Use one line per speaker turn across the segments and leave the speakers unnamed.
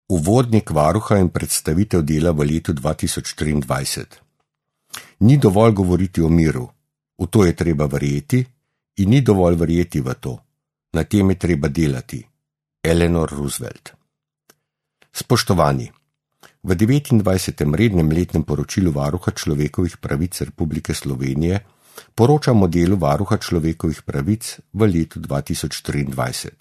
Uvodnik varuha in predstavitev dela v letu 2023. Ni dovolj govoriti o miru, v to je treba verjeti in ni dovolj verjeti v to, na tem je treba delati. Eleanor Roosevelt. Spoštovani, v 29. rednem letnem poročilu Varuha človekovih pravic Republike Slovenije poročamo o delu Varuha človekovih pravic v letu 2023.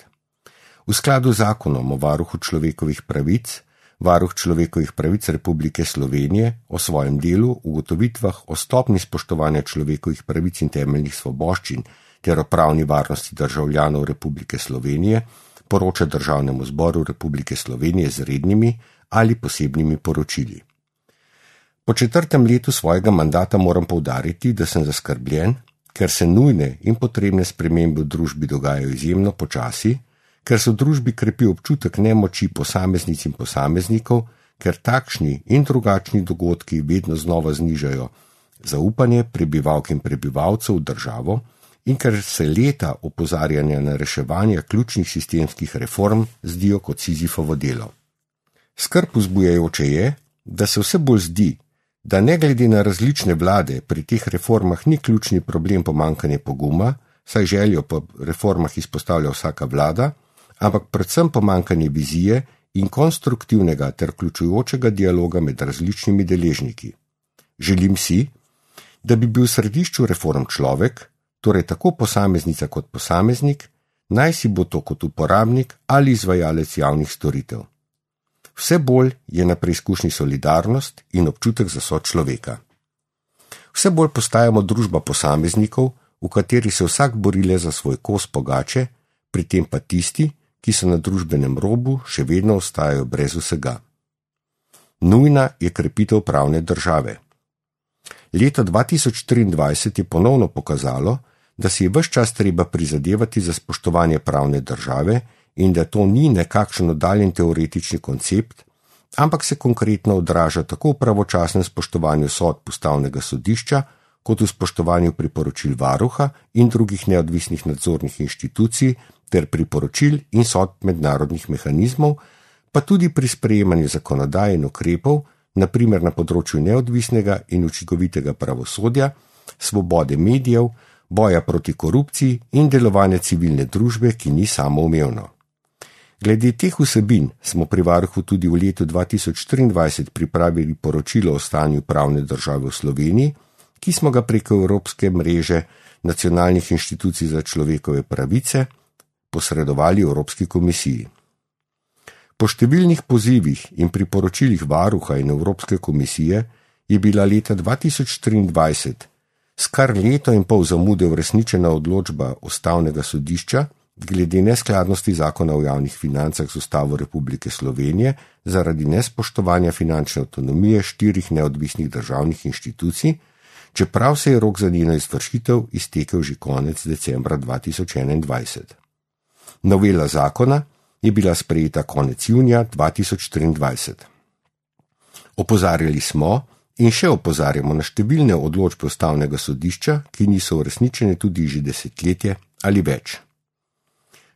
V skladu z zakonom o Varuhu človekovih pravic, Varuh človekovih pravic Republike Slovenije o svojem delu, ugotovitvah o stopnji spoštovanja človekovih pravic in temeljnih svoboščin ter o pravni varnosti državljanov Republike Slovenije poroča Državnemu zboru Republike Slovenije z rednimi ali posebnimi poročili. Po 4. letu svojega mandata moram poudariti, da sem zaskrbljen, ker se nujne in potrebne spremembe v družbi dogajajo izjemno počasi, ker se v družbi krepi občutek nemoči posameznic in posameznikov, ker takšni in drugačni dogodki vedno znova znižajo zaupanje prebivalk in prebivalcev v državo in ker se leta opozarjanja na reševanje ključnih sistemskih reform zdijo kot Sizifovo delo. Skrb vzbujajoče je, da se vse bolj zdi, da ne glede na različne vlade pri teh reformah ni ključni problem pomanjkanje poguma, saj željo po reformah izpostavlja vsaka vlada, ampak predvsem pomanjkanje vizije in konstruktivnega ter vključujočega dialoga med različnimi deležniki. Želim si, da bi bil v središču reform človek, torej tako posameznica kot posameznik, naj si bo to kot uporabnik ali izvajalec javnih storitev. Vse bolj je na preizkušnji solidarnost in občutek za sočloveka. Vse bolj postajamo družba posameznikov, v kateri se vsak bori le za svoj kos pogače, pri tem pa tisti, ki so na družbenem robu, še vedno ostajajo brez vsega. Nujna je krepitev pravne države. Leto 2023 je ponovno pokazalo, da si je ves čas treba prizadevati za spoštovanje pravne države in da to ni nekakšen oddaljen teoretični koncept, ampak se konkretno odraža tako v pravočasnem spoštovanju sodb Ustavnega sodišča, kot v spoštovanju priporočil varuha in drugih neodvisnih nadzornih inštitucij ter priporočil in sodb mednarodnih mehanizmov, pa tudi pri sprejemanju zakonodaje in ukrepov, na primer na področju neodvisnega in učinkovitega pravosodja, svobode medijev, boja proti korupciji in delovanja civilne družbe, ki ni samoumevno. Glede teh vsebin smo pri varuhu tudi v letu 2023 pripravili poročilo o stanju pravne države v Sloveniji, ki smo ga preko Evropske mreže nacionalnih inštitucij za človekove pravice posredovali Evropski komisiji. Po številnih pozivih in priporočilih varuha in Evropske komisije je bila leta 2023 s kar leto in pol zamude uresničena odločba Ustavnega sodišča glede neskladnosti zakona o javnih financah z Ustavo Republike Slovenije zaradi nespoštovanja finančne avtonomije 4 neodvisnih državnih inštitucij, čeprav se je rok za njeno izvršitev iztekel že konec decembra 2021. Novela zakona je bila sprejeta konec junija 2023. Opozarjali smo in še opozarjamo na številne odločbe Ustavnega sodišča, ki niso uresničene tudi že desetletje ali več.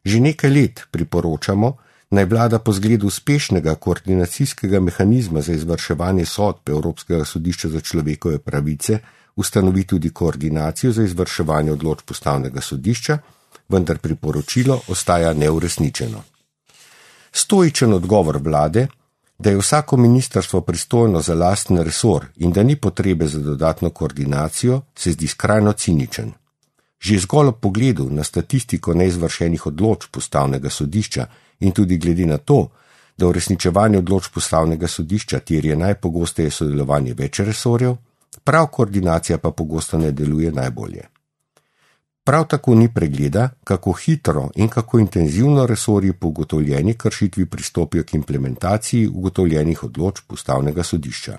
Že nekaj let priporočamo, naj vlada po zgledu uspešnega koordinacijskega mehanizma za izvrševanje sodb Evropskega sodišča za človekove pravice ustanovi tudi koordinacijo za izvrševanje odločb Ustavnega sodišča, vendar priporočilo ostaja neuresničeno. Stoičen odgovor vlade, da je vsako ministrstvo pristojno za lasten resor in da ni potrebe za dodatno koordinacijo, se zdi skrajno ciničen. Že zgolj ob pogledu na statistiko neizvršenih odločb Ustavnega sodišča in tudi glede na to, da uresničevanje odločb Ustavnega sodišča terja najpogosteje sodelovanje več resorjev, prav koordinacija pa pogosto ne deluje najbolje. Prav tako ni pregleda, kako hitro in kako intenzivno resorji po ugotovljeni kršitvi pristopijo k implementaciji ugotovljenih odločb Ustavnega sodišča.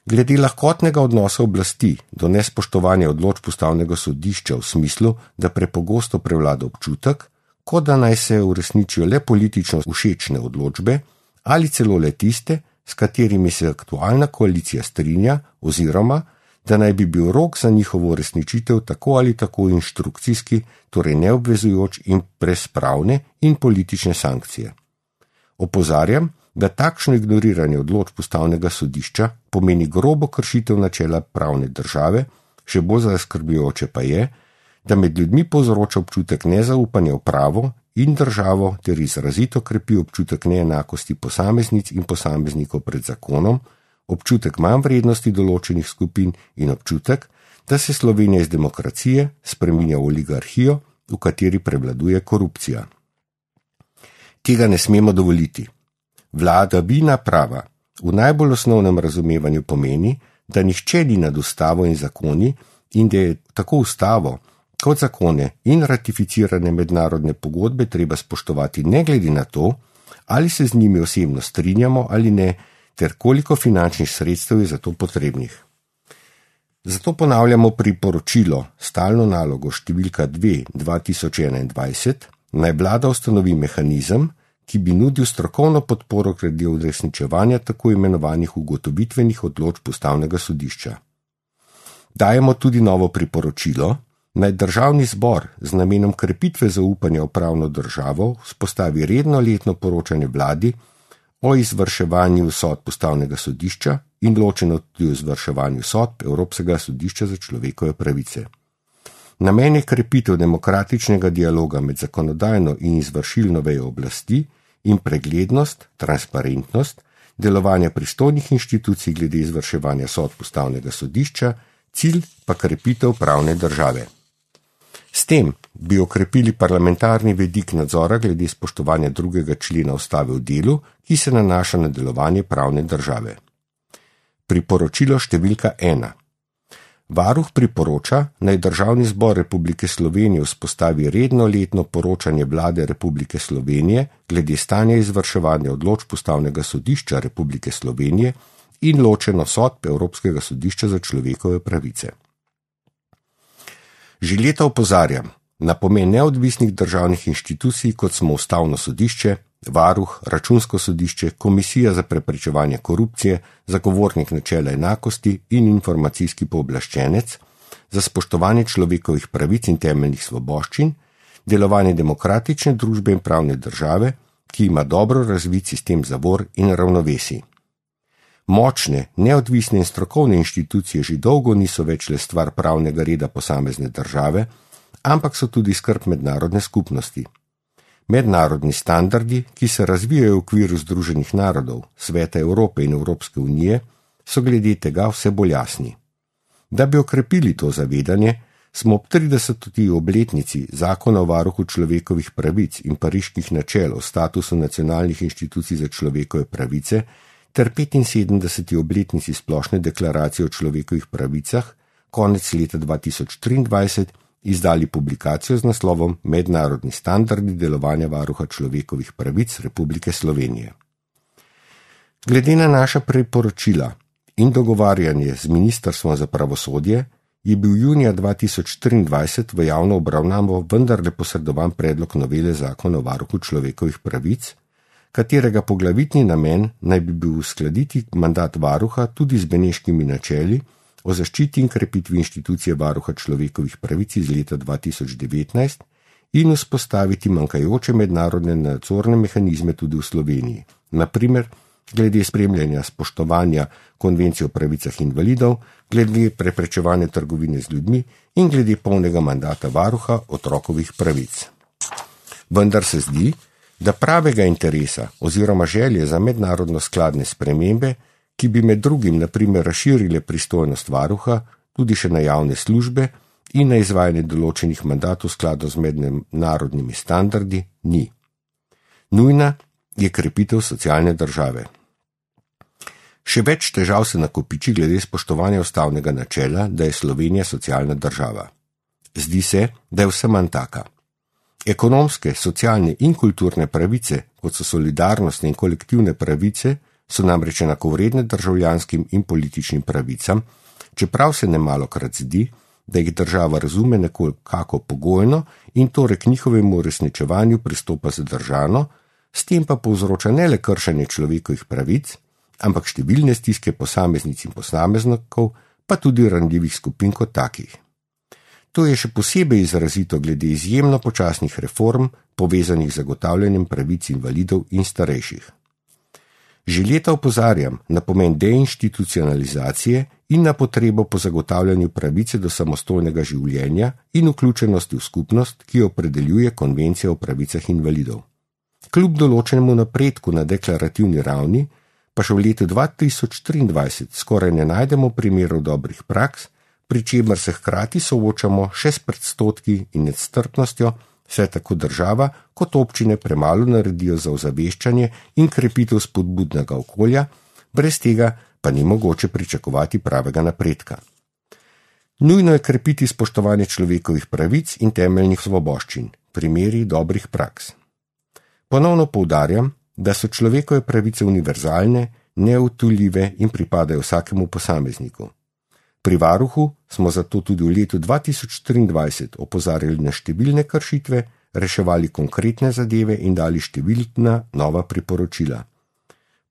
Glede lahkotnega odnosa oblasti do nespoštovanja odločb Ustavnega sodišča v smislu, da prepogosto prevlada občutek, kot da naj se uresničijo le politično všečne odločbe ali celo le tiste, s katerimi se aktualna koalicija strinja oziroma da naj bi bil rok za njihovo uresničitev tako ali tako inštrukcijski, torej neobvezujoč in brez pravne in politične sankcije. Opozarjam, da takšno ignoriranje odločb Ustavnega sodišča pomeni grobo kršitev načela pravne države, še bolj zaskrbljujoče pa je, da med ljudmi povzroča občutek nezaupanja v pravo in državo ter izrazito krepi občutek neenakosti posameznic in posameznikov pred zakonom, občutek manj vrednosti določenih skupin in občutek, da se Slovenija iz demokracije spreminja v oligarhijo, v kateri prevladuje korupcija. Tega ne smemo dovoliti. Vladavina prava v najbolj osnovnem razumevanju pomeni, da nihče ni nad ustavo in zakoni in da je tako ustavo kot zakone in ratificirane mednarodne pogodbe treba spoštovati ne glede na to, ali se z njimi osebno strinjamo ali ne, ter koliko finančnih sredstev je za to potrebnih. Zato ponavljamo priporočilo, stalno nalogo številka 2/2021, naj vlada ustanovi mehanizem, ki bi nudil strokovno podporo glede uresničevanja tako imenovanih ugotovitvenih odločb Ustavnega sodišča. Dajemo tudi novo priporočilo, naj Državni zbor z namenom krepitve zaupanja v pravno državo vzpostavi redno letno poročanje vladi o izvrševanju sodb Ustavnega sodišča in ločeno tudi o izvrševanju sodb Evropskega sodišča za človekove pravice. Namen je krepitev demokratičnega dialoga med zakonodajno in izvršilno vejo oblasti in preglednost, transparentnost, delovanja pristojnih inštitucij glede izvrševanja sodb Ustavnega sodišča, cilj pa krepitev pravne države. S tem bi okrepili parlamentarni vidik nadzora glede spoštovanja 2. člena Ustave v delu, ki se nanaša na delovanje pravne države. Priporočilo številka 1. Varuh priporoča, naj Državni zbor Republike Slovenije vzpostavi redno letno poročanje Vlade Republike Slovenije glede stanja izvrševanja odločb Ustavnega sodišča Republike Slovenije in ločeno sodb Evropskega sodišča za človekove pravice. Že leta opozarjam na pomen neodvisnih državnih inštitucij, kot smo Ustavno sodišče, Varuh, Računsko sodišče, Komisija za preprečevanje korupcije, Zagovornik načela enakosti in informacijski pooblaščenec za spoštovanje človekovih pravic in temeljnih svoboščin, delovanje demokratične družbe in pravne države, ki ima dobro razvit sistem zavor in ravnovesij. Močne, neodvisne in strokovne inštitucije že dolgo niso več le stvar pravnega reda posamezne države, ampak so tudi skrb mednarodne skupnosti. Mednarodni standardi, ki se razvijajo v okviru Združenih narodov, Sveta Evrope in Evropske unije, so glede tega vse bolj jasni. Da bi okrepili to zavedanje, smo ob 30. obletnici Zakona o varuhu človekovih pravic in pariških načel o statusu nacionalnih inštitucij za človekove pravice ter 75. obletnici Splošne deklaracije o človekovih pravicah konec leta 2023 izdali publikacijo z naslovom Mednarodni standardi delovanja varuha človekovih pravic Republike Slovenije. Glede na naša priporočila in dogovarjanje z Ministrstvom za pravosodje je bil junija 2023 v javno obravnavo vendarle posredovan predlog novele Zakona o varuhu človekovih pravic, katerega poglavitni namen naj bi bil uskladiti mandat varuha tudi z beneškimi načeli o zaščiti in krepitvi inštitucije varuha človekovih pravic iz leta 2019 in vzpostaviti manjkajoče mednarodne nadzorne mehanizme tudi v Sloveniji, naprimer glede spremljanja spoštovanja konvencije o pravicah invalidov, glede preprečevanja trgovine z ljudmi in glede polnega mandata varuha otrokovih pravic. Vendar se zdi, da pravega interesa oziroma želje za mednarodno skladne spremembe, ki bi med drugim naprimer razširile pristojnost varuha tudi še na javne službe in na izvajanje določenih mandatov v skladu z mednarodnimi standardi, ni. Nujna je krepitev socialne države. Še več težav se nakopiči glede spoštovanja ustavnega načela, da je Slovenija socialna država. Zdi se, da je vse manj taka. Ekonomske, socialne in kulturne pravice, kot so solidarnostne in kolektivne pravice, so namreč enakovredne državljanskim in političnim pravicam, čeprav se nemalokrat zdi, da jih država razume nekako pogojno in torej k njihovemu uresničevanju pristopa zadržano, s tem pa povzroča ne le kršenje človekovih pravic, ampak številne stiske posameznic in posameznikov, pa tudi ranljivih skupin kot takih. To je še posebej izrazito glede izjemno počasnih reform, povezanih z zagotavljanjem pravic invalidov in starejših. Že leta opozarjam na pomen deinstitucionalizacije in na potrebo po zagotavljanju pravice do samostojnega življenja in vključenosti v skupnost, ki jo opredeljuje Konvencija o pravicah invalidov. Kljub določenemu napredku na deklarativni ravni, pa še v letu 2023 skoraj ne najdemo primerov dobrih praks, pri čemer se hkrati soočamo še s predstotki in nestrpnostjo, saj tako država kot občine premalo naredijo za ozaveščanje in krepitev spodbudnega okolja, brez tega pa ni mogoče pričakovati pravega napredka. Nujno je krepiti spoštovanje človekovih pravic in temeljnih svoboščin, primeri dobrih praks. Ponovno poudarjam, da so človekove pravice univerzalne, neodtujljive in pripadajo vsakemu posamezniku. Pri varuhu smo zato tudi v letu 2023 opozarjali na številne kršitve, reševali konkretne zadeve in dali številna nova priporočila.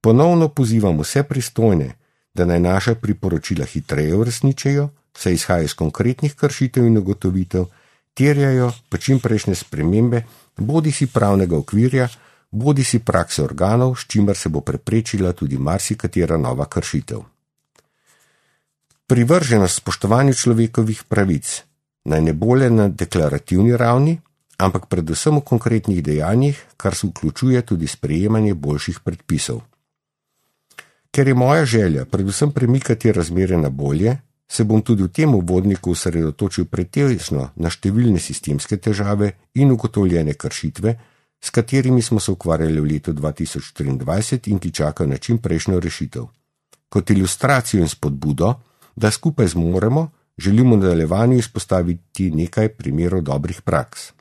Ponovno pozivam vse pristojne, da naj naša priporočila hitreje uresničijo, saj izhaja iz konkretnih kršitev in ugotovitev, terjajo pa čimprejšnje spremembe, bodisi pravnega okvirja, bodisi prakse organov, s čimer se bo preprečila tudi marsikatera nova kršitev. Privrženost spoštovanju človekovih pravic naj ne bo le na deklarativni ravni, ampak predvsem v konkretnih dejanjih, kar se vključuje tudi sprejemanje boljših predpisov. Ker je moja želja predvsem premikati razmere na bolje, se bom tudi v tem uvodniku osredotočil pretežno na številne sistemske težave in ugotovljene kršitve, s katerimi smo se ukvarjali v letu 2023 in ki čakajo na čimprejšnjo rešitev. Kot ilustracijo in spodbudo, da skupaj zmoremo, želimo v nadaljevanju izpostaviti nekaj primerov dobrih praks.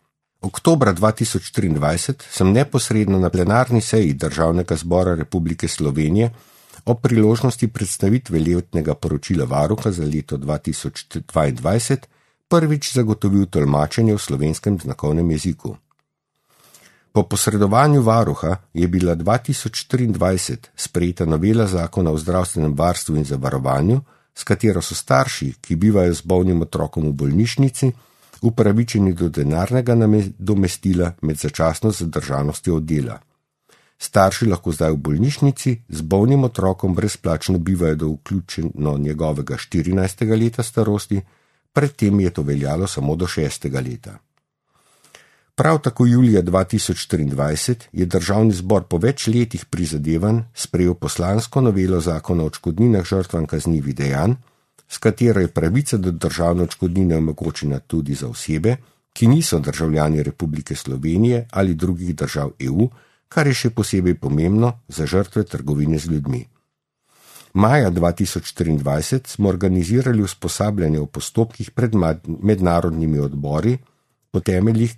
Oktobra 2023 sem neposredno na plenarni seji Državnega zbora Republike Slovenije ob priložnosti predstavitve letnega poročila varuha za leto 2022 prvič zagotovil tolmačenje v slovenskem znakovnem jeziku. Po posredovanju varuha je bila 2023 sprejeta novela zakona o zdravstvenem varstvu in zavarovanju, s katero so starši, ki bivajo z bolnim otrokom v bolnišnici, upravičeni do denarnega nadomestila med začasno zadržanostjo od dela. Starši lahko zdaj v bolnišnici z bolnim otrokom brezplačno bivajo do vključeno njegovega 14. leta starosti, predtem je to veljalo samo do 6. leta. Prav tako julija 2023 je Državni zbor po več letih prizadevanj sprejel poslansko novelo zakona o odškodninah žrtvam kaznivih dejanj, s katero je pravica do državne odškodnine omogočena tudi za osebe, ki niso državljani Republike Slovenije ali drugih držav EU, kar je še posebej pomembno za žrtve trgovine z ljudmi. Maja 2023 smo organizirali usposabljanje o postopkih pred mednarodnimi odbori po temeljih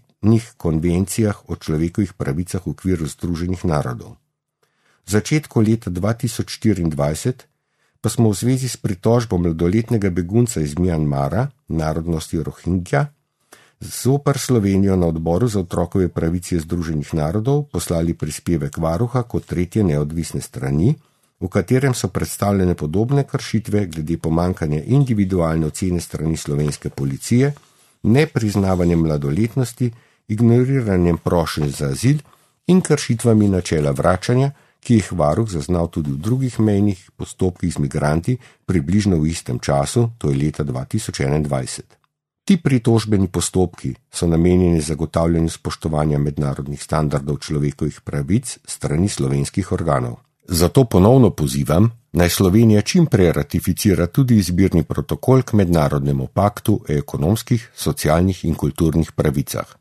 konvencijah o človekovih pravicah v okviru Združenih narodov. V začetku leta 2024 pa smo v zvezi s pritožbo mladoletnega begunca iz Mjanmara, narodnosti Rohingja, zoper Slovenijo na odboru za otrokove pravice Združenih narodov poslali prispevek varuha kot tretje neodvisne strani, v katerem so predstavljene podobne kršitve glede pomanjkanja individualne ocene strani slovenske policije, nepriznavanjem mladoletnosti, ignoriranjem prošenj za azil in kršitvami načela vračanja, ki jih varuh zaznal tudi v drugih mejnih postopkih z migranti približno v istem času, to je leta 2021. Ti pritožbeni postopki so namenjeni zagotavljanju spoštovanja mednarodnih standardov človekovih pravic strani slovenskih organov. Zato ponovno pozivam, naj Slovenija čim prej ratificira tudi izbirni protokol k mednarodnemu paktu o ekonomskih, socialnih in kulturnih pravicah.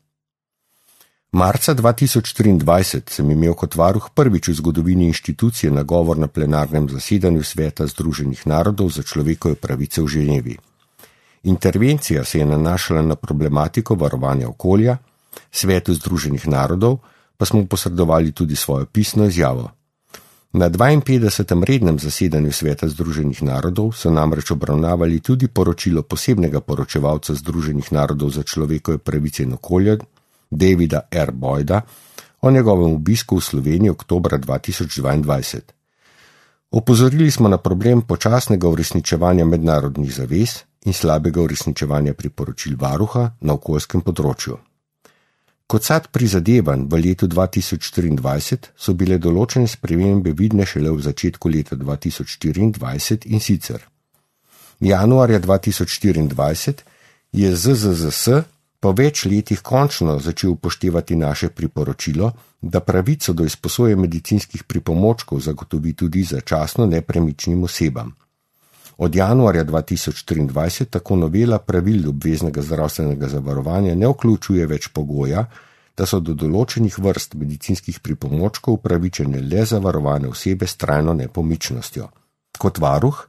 Marca 2023 sem imel kot varuh prvič v zgodovini inštitucije nagovor na plenarnem zasedanju Sveta Združenih narodov za človekove pravice v Ženevi. Intervencija se je nanašala na problematiko varovanja okolja, Svetu Združenih narodov pa smo posredovali tudi svojo pisno izjavo. Na 52. rednem zasedanju Sveta Združenih narodov so namreč obravnavali tudi poročilo posebnega poročevalca Združenih narodov za človekove pravice in okolje, Davida R. Boyda, o njegovem obisku v Sloveniji oktobra 2022. Opozorili smo na problem počasnega uresničevanja mednarodnih zavez in slabega uresničevanja priporočil varuha na okoljskem področju. Kot sad prizadevanj v letu 2023 so bile določene spremembe vidne šele v začetku leta 2024 in sicer. Januarja 2024 je ZZZS po več letih končno začel upoštevati naše priporočilo, da pravico do izposoje medicinskih pripomočkov zagotovi tudi začasno nepremičnim osebam. Od januarja 2023 tako novela pravil obveznega zdravstvenega zavarovanja ne vključuje več pogoja, da so do določenih vrst medicinskih pripomočkov upravičene le zavarovane osebe s trajno nepomičnostjo. Kot varuh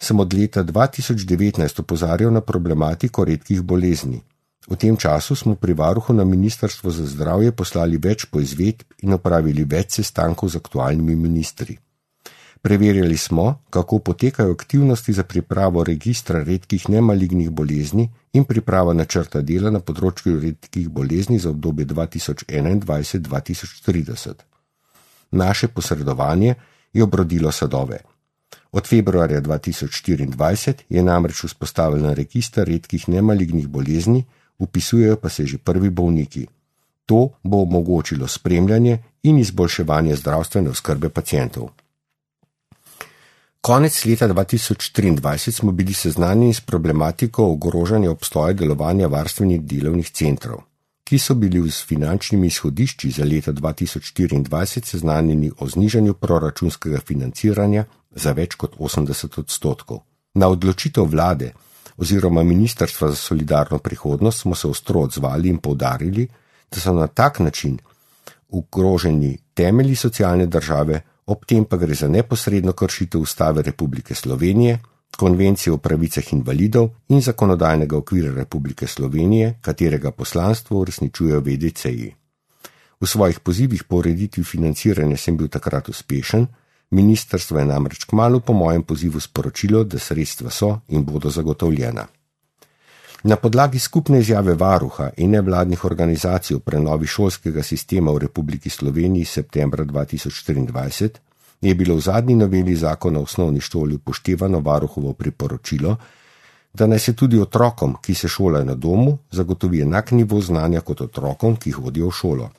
sem od leta 2019 opozarjal na problematiko redkih bolezni. V tem času smo pri varuhu na Ministrstvo za zdravje poslali več poizvedb in opravili več sestankov z aktualnimi ministri. Preverjali smo, kako potekajo aktivnosti za pripravo registra redkih nemalignih bolezni in priprava načrta dela na področju redkih bolezni za obdobje 2021-2030. Naše posredovanje je obrodilo sadove. Od februarja 2024 je namreč vzpostavljen register redkih nemalignih bolezni, vpisujejo pa se že prvi bolniki. To bo omogočilo spremljanje in izboljševanje zdravstvene oskrbe pacientov. Konec leta 2023 smo bili seznanjeni s problematiko ogrožanja obstoja delovanja varstvenih delovnih centrov, ki so bili s finančnimi izhodišči za leta 2024 seznanjeni o znižanju proračunskega financiranja za več kot 80%. Na odločitev vlade oziroma Ministrstva za solidarno prihodnost smo se ostro odzvali in poudarili, da so na tak način ogroženi temelji socialne države, ob tem pa gre za neposredno kršitev Ustave Republike Slovenije, Konvencije o pravicah invalidov in zakonodajnega okvira Republike Slovenije, katerega poslanstvo uresničujejo VDC-ji. V svojih pozivih po ureditvi financiranja sem bil takrat uspešen, ministrstvo je namreč kmalu po mojem pozivu sporočilo, da sredstva so in bodo zagotovljena. Na podlagi skupne izjave varuha in nevladnih organizacij o prenovi šolskega sistema v Republiki Sloveniji septembra 2023 je bilo v zadnji noveli zakona o osnovni šoli upoštevano varuhovo priporočilo, da naj se tudi otrokom, ki se šolajo na domu, zagotovi enak nivo znanja kot otrokom, ki hodijo v šolo.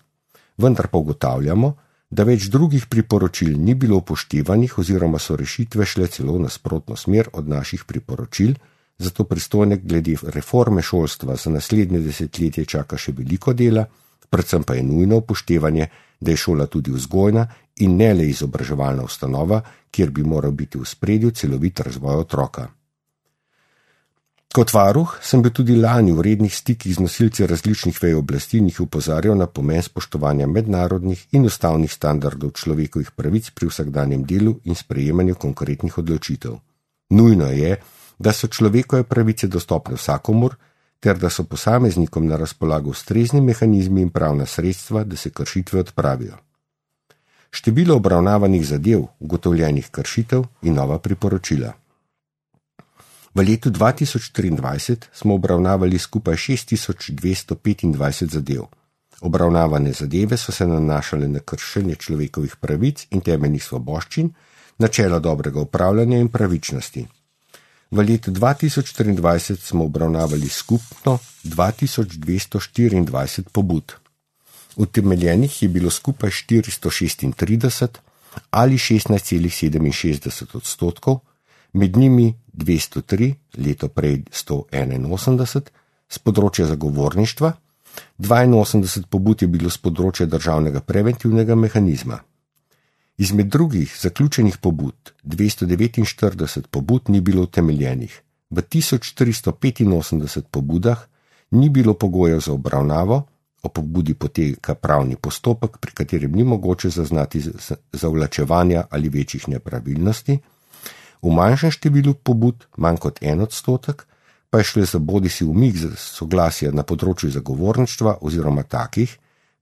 Vendar pa ugotavljamo, da več drugih priporočil ni bilo upoštevanih oziroma so rešitve šle celo v nasprotno smer od naših priporočil, zato pristojne glede reforme šolstva za naslednje desetletje čaka še veliko dela, predvsem pa je nujno upoštevanje, da je šola tudi vzgojna in ne le izobraževalna ustanova, kjer bi moral biti v ospredju celovit razvoj otroka. Kot varuh sem bil tudi lani v rednih stikih z nosilci različnih vej oblasti in jih opozarjal na pomen spoštovanja mednarodnih in ustavnih standardov človekovih pravic pri vsakdanjem delu in sprejemanju konkretnih odločitev. Nujno je, da so človekove pravice dostopne vsakomur, ter da so posameznikom na razpolago ustrezni mehanizmi in pravna sredstva, da se kršitve odpravijo. Število obravnavanih zadev, ugotovljenih kršitev in nova priporočila. V letu 2023 smo obravnavali skupaj 6225 zadev. Obravnavane zadeve so se nanašale na kršenje človekovih pravic in temeljnih svoboščin, načela dobrega upravljanja in pravičnosti. V letu 2023 smo obravnavali skupno 2224 pobud. Utemeljenih je bilo skupaj 436 ali 16,67%, med njimi 203, leto prej 181, z področja zagovorništva, 82 pobud je bilo z področja državnega preventivnega mehanizma. Izmed drugih zaključenih pobud 249 pobud ni bilo utemeljenih. V 1385 pobudah ni bilo pogojev za obravnavo, o pobudi poteka pravni postopek, pri katerem ni mogoče zaznati zavlačevanja ali večjih nepravilnosti. V manjšem številu pobud, manj kot 1%, pa je šlo za bodisi umik soglasja na področju zagovorništva oziroma takih,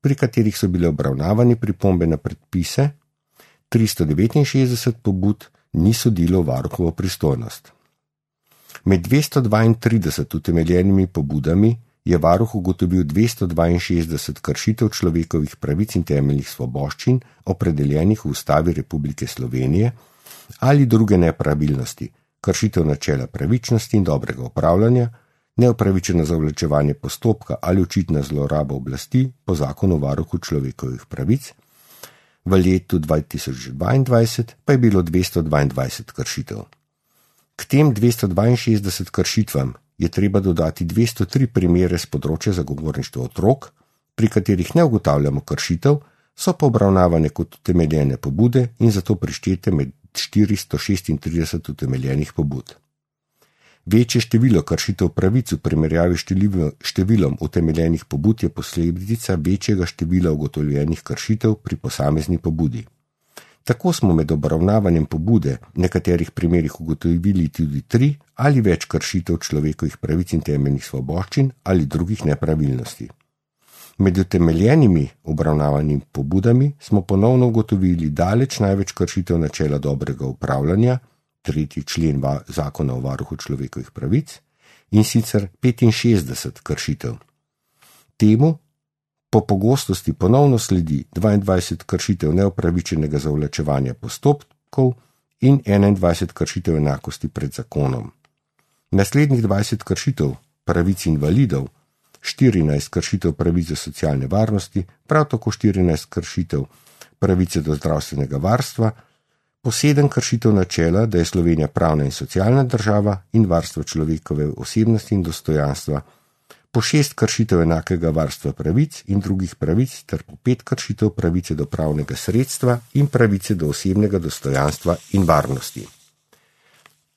pri katerih so bile obravnavani pripombe na predpise. 369 pobud ni sodilo varuhovo pristojnost. Med 232 utemeljenimi pobudami je varuh ugotovil 262 kršitev človekovih pravic in temeljnih svoboščin, opredeljenih v Ustavi Republike Slovenije, ali druge nepravilnosti, kršitev načela pravičnosti in dobrega upravljanja, neupravičeno zavlačevanje postopka ali očitna zloraba oblasti po zakonu o varuhu človekovih pravic. V letu 2022 pa je bilo 222 kršitev. K tem 262 kršitvam je treba dodati 203 primere z področja zagovorništva otrok, pri katerih ne ugotavljamo kršitev, so pa obravnavane kot utemeljene pobude in zato prištete med 436 utemeljenih pobud. Večje število kršitev pravic v primerjavi s številom utemeljenih pobud je posledica večjega števila ugotovljenih kršitev pri posamezni pobudi. Tako smo med obravnavanjem pobude v nekaterih primerih ugotovili tudi 3 ali več kršitev človekovih pravic in temeljnih svoboščin ali drugih nepravilnosti. Med utemeljenimi obravnavanimi pobudami smo ponovno ugotovili daleč največ kršitev načela dobrega upravljanja, 3. člen zakona o varuhu človekovih pravic, in sicer 65 kršitev. Temu po pogostosti ponovno sledi 22 kršitev neupravičenega zavlačevanja postopkov in 21 kršitev enakosti pred zakonom. Naslednjih 20 kršitev pravic invalidov, 14 kršitev pravic do socialne varnosti, prav tako 14 kršitev pravice do zdravstvenega varstva, po 7 kršitev načela, da je Slovenija pravna in socialna država in varstvo človekove osebnosti in dostojanstva, po 6 kršitev enakega varstva pravic in drugih pravic ter po 5 kršitev pravice do pravnega sredstva in pravice do osebnega dostojanstva in varnosti.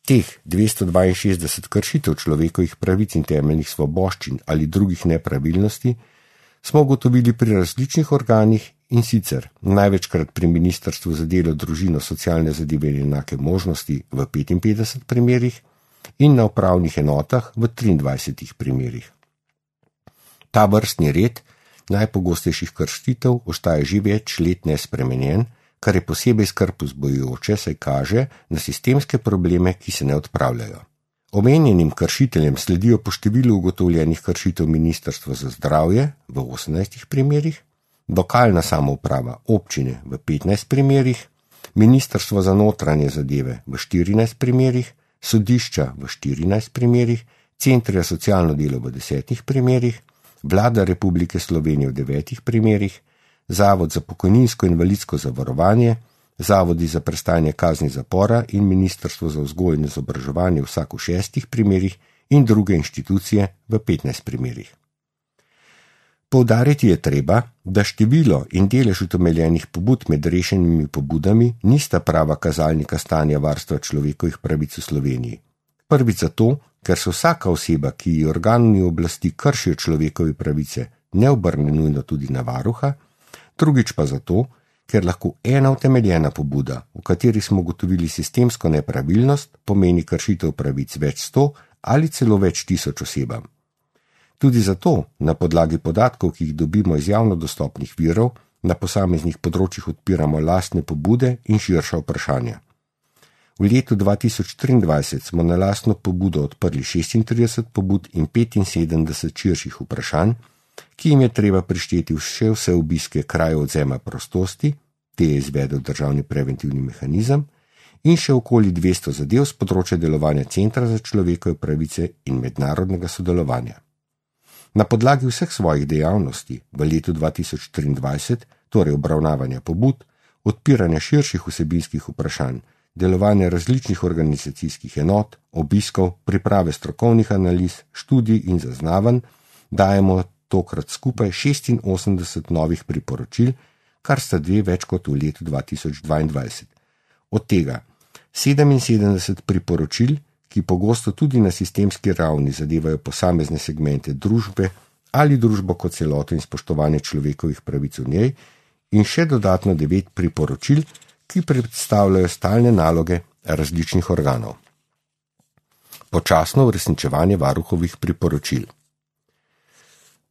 Teh 262 kršitev človekovih pravic in temeljnih svoboščin ali drugih nepravilnosti smo ugotovili pri različnih organih, in sicer največkrat pri Ministrstvu za delo, družino, socialne zadeve in enake možnosti v 55 primerih in na upravnih enotah v 23 primerih. Ta vrstni red najpogostejših kršitev ostaja že več let nespremenjen, kar je posebej skrb vzbujajoče, saj kaže na sistemske probleme, ki se ne odpravljajo. Omenjenim kršiteljem sledijo po številu ugotovljenih kršitev Ministrstvo za zdravje v 18 primerih, lokalna samouprava občine v 15 primerih, Ministrstvo za notranje zadeve v 14 primerih, sodišča v 14 primerih, Centri za socialno delo v 10 primerih, Vlada Republike Slovenije v 9 primerih, Zavod za pokojninsko in invalidsko zavarovanje, Zavodi za prestajanje kazni zapora in Ministrstvo za vzgojo in izobraževanje vsak v 6 primerih in druge inštitucije v 15 primerih. Poudariti je treba, da število in delež utemeljenih pobud med rešenimi pobudami nista prava kazalnika stanja varstva človekovih pravic v Sloveniji. Prvič zato, ker se vsaka oseba, ki ji organi oblasti kršijo človekove pravice, ne obrne nujno tudi na varuha, drugič pa zato, ker lahko ena utemeljena pobuda, v kateri smo ugotovili sistemsko nepravilnost, pomeni kršitev pravic več 100 ali celo več 1000 osebam. Tudi zato, na podlagi podatkov, ki jih dobimo iz javno dostopnih virov, na posameznih področjih odpiramo lastne pobude in širša vprašanja. V letu 2023 smo na lastno pobudo odprli 36 pobud in 75 širših vprašanj, ki jim je treba prišteti še vse obiske krajev odvzema prostosti, te je izvedel državni preventivni mehanizem, in še okoli 200 zadev z področja delovanja Centra za človekove pravice in mednarodnega sodelovanja. Na podlagi vseh svojih dejavnosti v letu 2023, torej obravnavanja pobud, odpiranja širših vsebinskih vprašanj, delovanja različnih organizacijskih enot, obiskov, priprave strokovnih analiz, študij in zaznavanj, dajemo tokrat skupaj 86 novih priporočil, kar sta 2 več kot v letu 2022. Od tega 77 priporočil, ki pogosto tudi na sistemski ravni zadevajo posamezne segmente družbe ali družbo kot celoto in spoštovanje človekovih pravic v njej, in še dodatno 9 priporočil, ki predstavljajo stalne naloge različnih organov. Počasno uresničevanje varuhovih priporočil.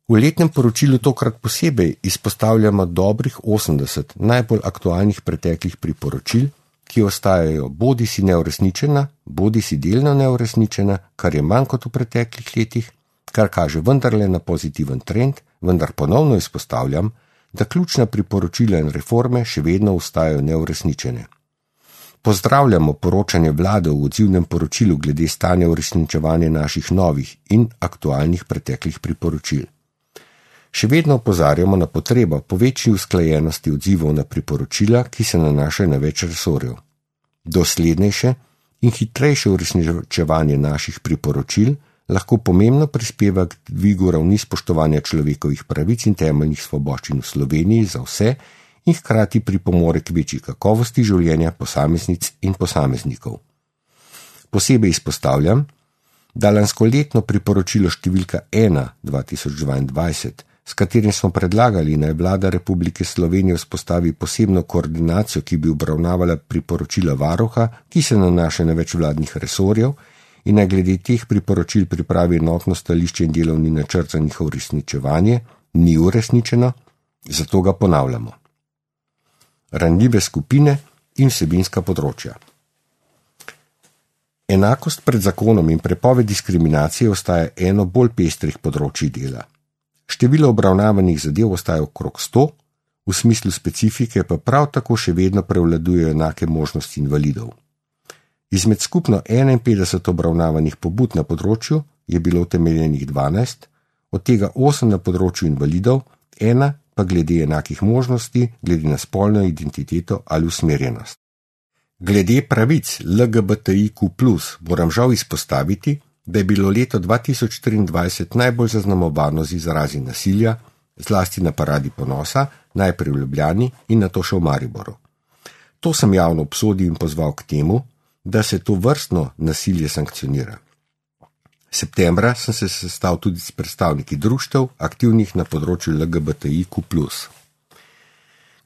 V letnem poročilu tokrat posebej izpostavljamo dobrih 80 najbolj aktualnih preteklih priporočil, ki ostajajo bodisi neuresničena, bodisi delno neuresničena, kar je manj kot v preteklih letih, kar kaže vendarle na pozitiven trend, vendar ponovno izpostavljam, da ključna priporočila in reforme še vedno ostajajo neuresničene. Pozdravljamo poročanje vlade v odzivnem poročilu glede stanja uresničevanja naših novih in aktualnih preteklih priporočil. Še vedno opozarjamo na potrebo po večji usklajenosti odzivov na priporočila, ki se nanašajo na več resorjev. Doslednejše in hitrejše uresničevanje naših priporočil lahko pomembno prispeva k dvigu ravni spoštovanja človekovih pravic in temeljnih svoboščin v Sloveniji za vse in hkrati pripomore k večji kakovosti življenja posameznic in posameznikov. Posebej izpostavljam, da lanskoletno priporočilo številka 1/2022, s katerim smo predlagali, naj vlada Republike Slovenije vzpostavi posebno koordinacijo, ki bi obravnavala priporočila varuha, ki se nanaša na več vladnih resorjev, in naj glede teh priporočil pripravi enotno stališče in delovni načrt za njihovo uresničevanje, ni uresničeno, zato ga ponavljamo. Ranljive skupine in vsebinska področja. Enakost pred zakonom in prepoved diskriminacije ostaja eno bolj pestrih področij dela. Število obravnavanih zadev ostaja okrog 100, v smislu specifike pa prav tako še vedno prevladujejo enake možnosti invalidov. Izmed skupno 51 obravnavanih pobud na področju je bilo utemeljenih 12, od tega 8 na področju invalidov, 1 pa glede enakih možnosti, glede na spolno identiteto ali usmerjenost. Glede pravic LGBTIQ+, moram žal izpostaviti, da je bilo leto 2023 najbolj zaznamovano z izrazi nasilja, zlasti na Paradi ponosa, najprej v Ljubljani in nato še v Mariboru. To sem javno obsodil in pozval k temu, da se to vrstno nasilje sankcionira. Septembra sem se sestal tudi s predstavniki društev, aktivnih na področju LGBTIQ+.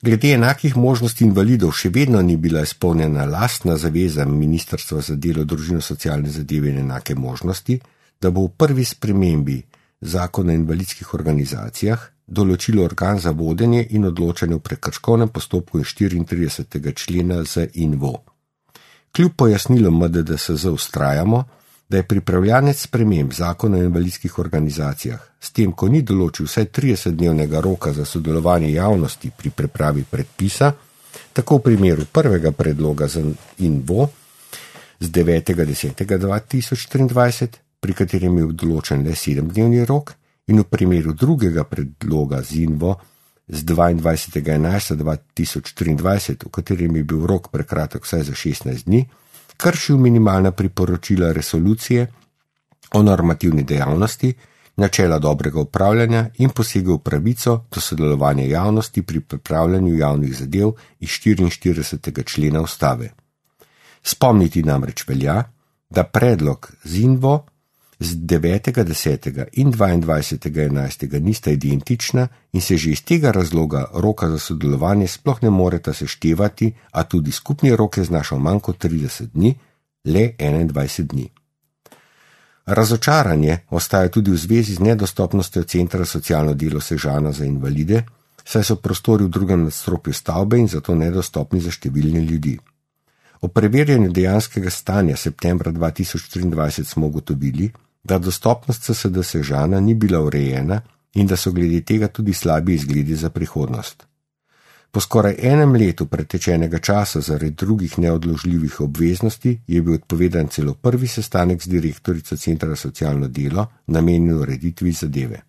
Glede enakih možnosti invalidov še vedno ni bila izpolnjena lastna zaveza Ministrstva za delo, družino, socialne zadeve in enake možnosti, da bo v prvi spremembi Zakona o invalidskih organizacijah določilo organ za vodenje in odločanje v prekrškovnem postopku iz 34. člena ZINVO. Kljub pojasnilom MDDSZ vztrajamo, da je pripravljanec sprememb Zakona o invalidskih organizacijah, s tem, ko ni določil vsaj 30-dnevnega roka za sodelovanje javnosti pri pripravi predpisa, tako v primeru prvega predloga ZINVO z 9.10.2023, pri katerem je določen le 7-dnevni rok, in v primeru drugega predloga ZINVO z 22.11.2023, v katerem je bil rok prekratek vsaj za 16 dni, kršil minimalna priporočila resolucije o normativni dejavnosti, načela dobrega upravljanja in posegel v pravico do sodelovanja javnosti pri pripravljanju javnih zadev iz 44. člena Ustave. Spomniti namreč velja, da predlog ZINVO z 9.10. in 22.11. nista identična in se že iz tega razloga roka za sodelovanje sploh ne moreta seštevati, a tudi skupni rok je znašal manj kot 30 dni, le 21 dni. Razočaranje ostaja tudi v zvezi z nedostopnostjo Centra socialno delo Sežana za invalide, saj so prostori v drugem nadstropju stavbe in zato nedostopni za številne ljudi. O preverjanju dejanskega stanja septembra 2023 smo ugotovili, da dostopnost CSD Sežana ni bila urejena in da so glede tega tudi slabi izgledi za prihodnost. Po skoraj enem letu pretečenega časa zaradi drugih neodložljivih obveznosti je bil odpovedan celo prvi sestanek z direktorico Centra socialno delo, namenjen ureditvi zadeve.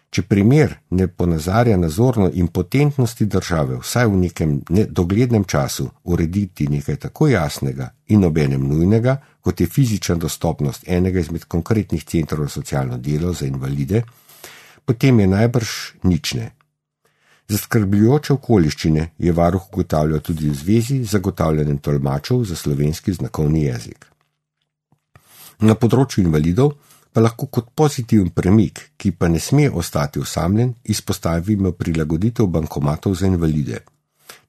Če primer ne ponazarja nazorno impotentnosti države vsaj v nekem doglednem času urediti nekaj tako jasnega in obenem nujnega, kot je fizična dostopnost enega izmed konkretnih centrov socialno delo za invalide, potem je najbrž nične. Zaskrbljujoče okoliščine je varuh ugotavljal tudi v zvezi z zagotavljanjem tolmačev za slovenski znakovni jezik. Na področju invalidov pa lahko kot pozitiven premik, ki pa ne sme ostati osamljen, izpostavimo prilagoditev bankomatov za invalide.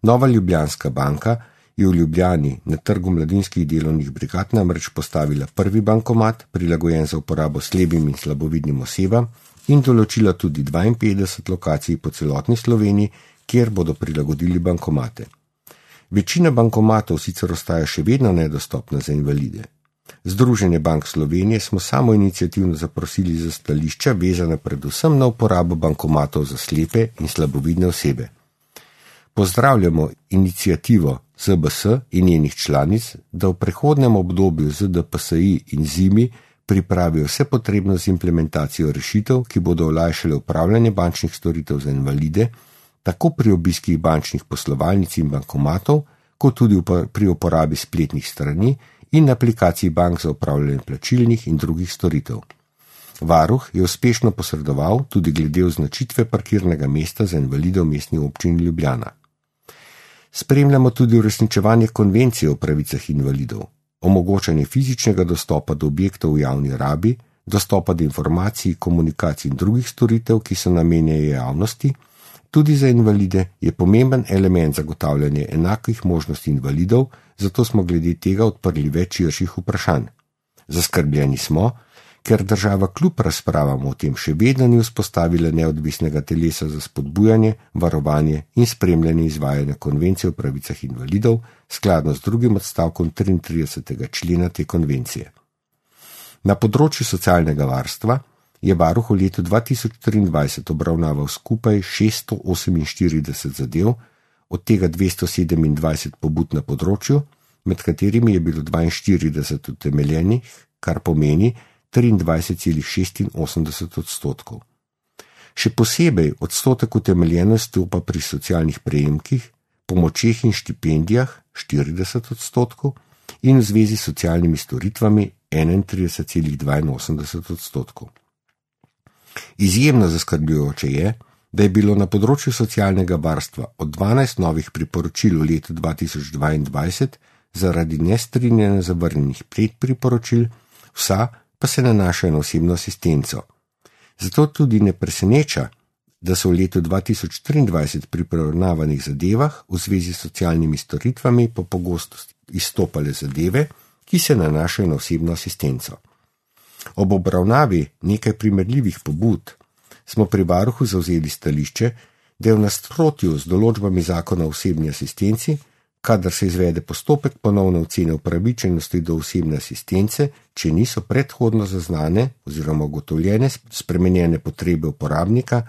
Nova Ljubljanska banka je v Ljubljani na trgu mladinskih delovnih brigad namreč postavila prvi bankomat, prilagojen za uporabo slepim in slabovidnim osebam, in določila tudi 52 lokacij po celotni Sloveniji, kjer bodo prilagodili bankomate. Večina bankomatov sicer ostaja še vedno nedostopna za invalide. Združenje bank Slovenije smo samoiniciativno zaprosili za stališča, vezana predvsem na uporabo bankomatov za slepe in slabovidne osebe. Pozdravljamo iniciativo ZBS in njenih članic, da v prehodnem obdobju ZDPSI in ZIMI pripravijo vse potrebno z implementacijo rešitev, ki bodo olajšale upravljanje bančnih storitev za invalide, tako pri obiskih bančnih poslovalnic in bankomatov, kot tudi pri uporabi spletnih strani in aplikacij bank za upravljanje plačilnih in drugih storitev. Varuh je uspešno posredoval tudi glede označitve parkirnega mesta za invalide v Mestni občini Ljubljana. Spremljamo tudi uresničevanje konvencije o pravicah invalidov, omogočanje fizičnega dostopa do objektov v javni rabi, dostopa do informacij, komunikacij in drugih storitev, ki so namenjene javnosti, tudi za invalide je pomemben element zagotavljanja enakih možnosti invalidov, zato smo glede tega odprli več širših vprašanj. Zaskrbljeni smo, ker država kljub razpravam o tem še vedno ni vzpostavila neodvisnega telesa za spodbujanje, varovanje in spremljanje izvajanja konvencije o pravicah invalidov skladno z drugim odstavkom 33. člena te konvencije. Na področju socialnega varstva je varuh v letu 2023 obravnaval skupaj 648 zadev, od tega 227 pobud na področju, med katerimi je bilo 42 utemeljenih, kar pomeni 23,86%. Še posebej odstotek utemeljenosti pa pri socialnih prejemkih, pomočeh in štipendijah 40% in v zvezi s socialnimi storitvami 31,82%. Izjemno zaskrbljujoče je, da je bilo na področju socialnega varstva od 12 novih priporočil v letu 2022 zaradi nestrinjanja zavrnjenih 5 priporočil, vsa pa se nanašajo na osebno asistenco. Zato tudi ne preseneča, da so v letu 2023 pri obravnavanih zadevah v zvezi s socialnimi storitvami po pogostosti izstopale zadeve, ki se nanašajo na osebno asistenco. Ob obravnavi nekaj primerljivih pobud smo pri varuhu zavzeli stališče, da je v nasprotju z določbami zakona o osebni asistenci, kadar se izvede postopek ponovne ocene upravičenosti do osebne asistence, če niso predhodno zaznane oziroma ugotovljene spremenjene potrebe uporabnika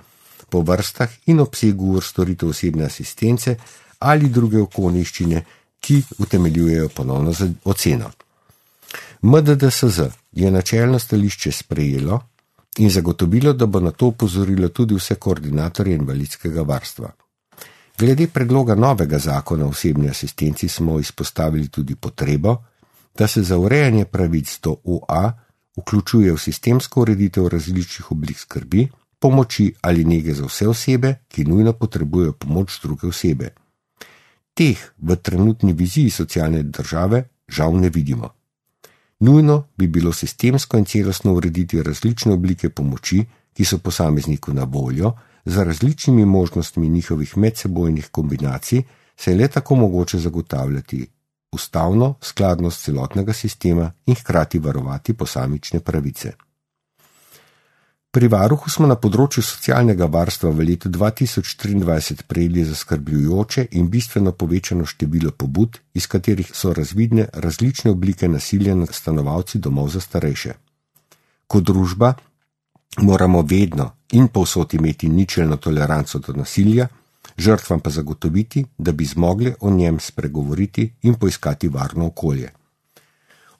po vrstah in obsegu ur storitev osebne asistence ali druge okoliščine, ki utemeljujejo ponovno oceno. MDDSZ je načelno stališče sprejelo in zagotovilo, da bo na to opozorilo tudi vse koordinatorje invalidskega varstva. Glede predloga novega zakona o osebni asistenci smo izpostavili tudi potrebo, da se za urejanje pravic do OA vključuje v sistemsko ureditev različnih oblik skrbi, pomoči ali nege za vse osebe, ki nujno potrebujejo pomoč druge osebe. Teh v trenutni viziji socialne države žal ne vidimo. Nujno bi bilo sistemsko in celostno urediti različne oblike pomoči, ki so posamezniku na voljo, za različnimi možnostmi njihovih medsebojnih kombinacij se je le tako mogoče zagotavljati ustavno skladnost celotnega sistema in hkrati varovati posamične pravice. Pri varuhu smo na področju socialnega varstva v letu 2023 prejeli zaskrbljujoče in bistveno povečano število pobud, iz katerih so razvidne različne oblike nasilja nad stanovalci domov za starejše. Kot družba moramo vedno in povsod imeti ničelno toleranco do nasilja, žrtvam pa zagotoviti, da bi zmogli o njem spregovoriti in poiskati varno okolje.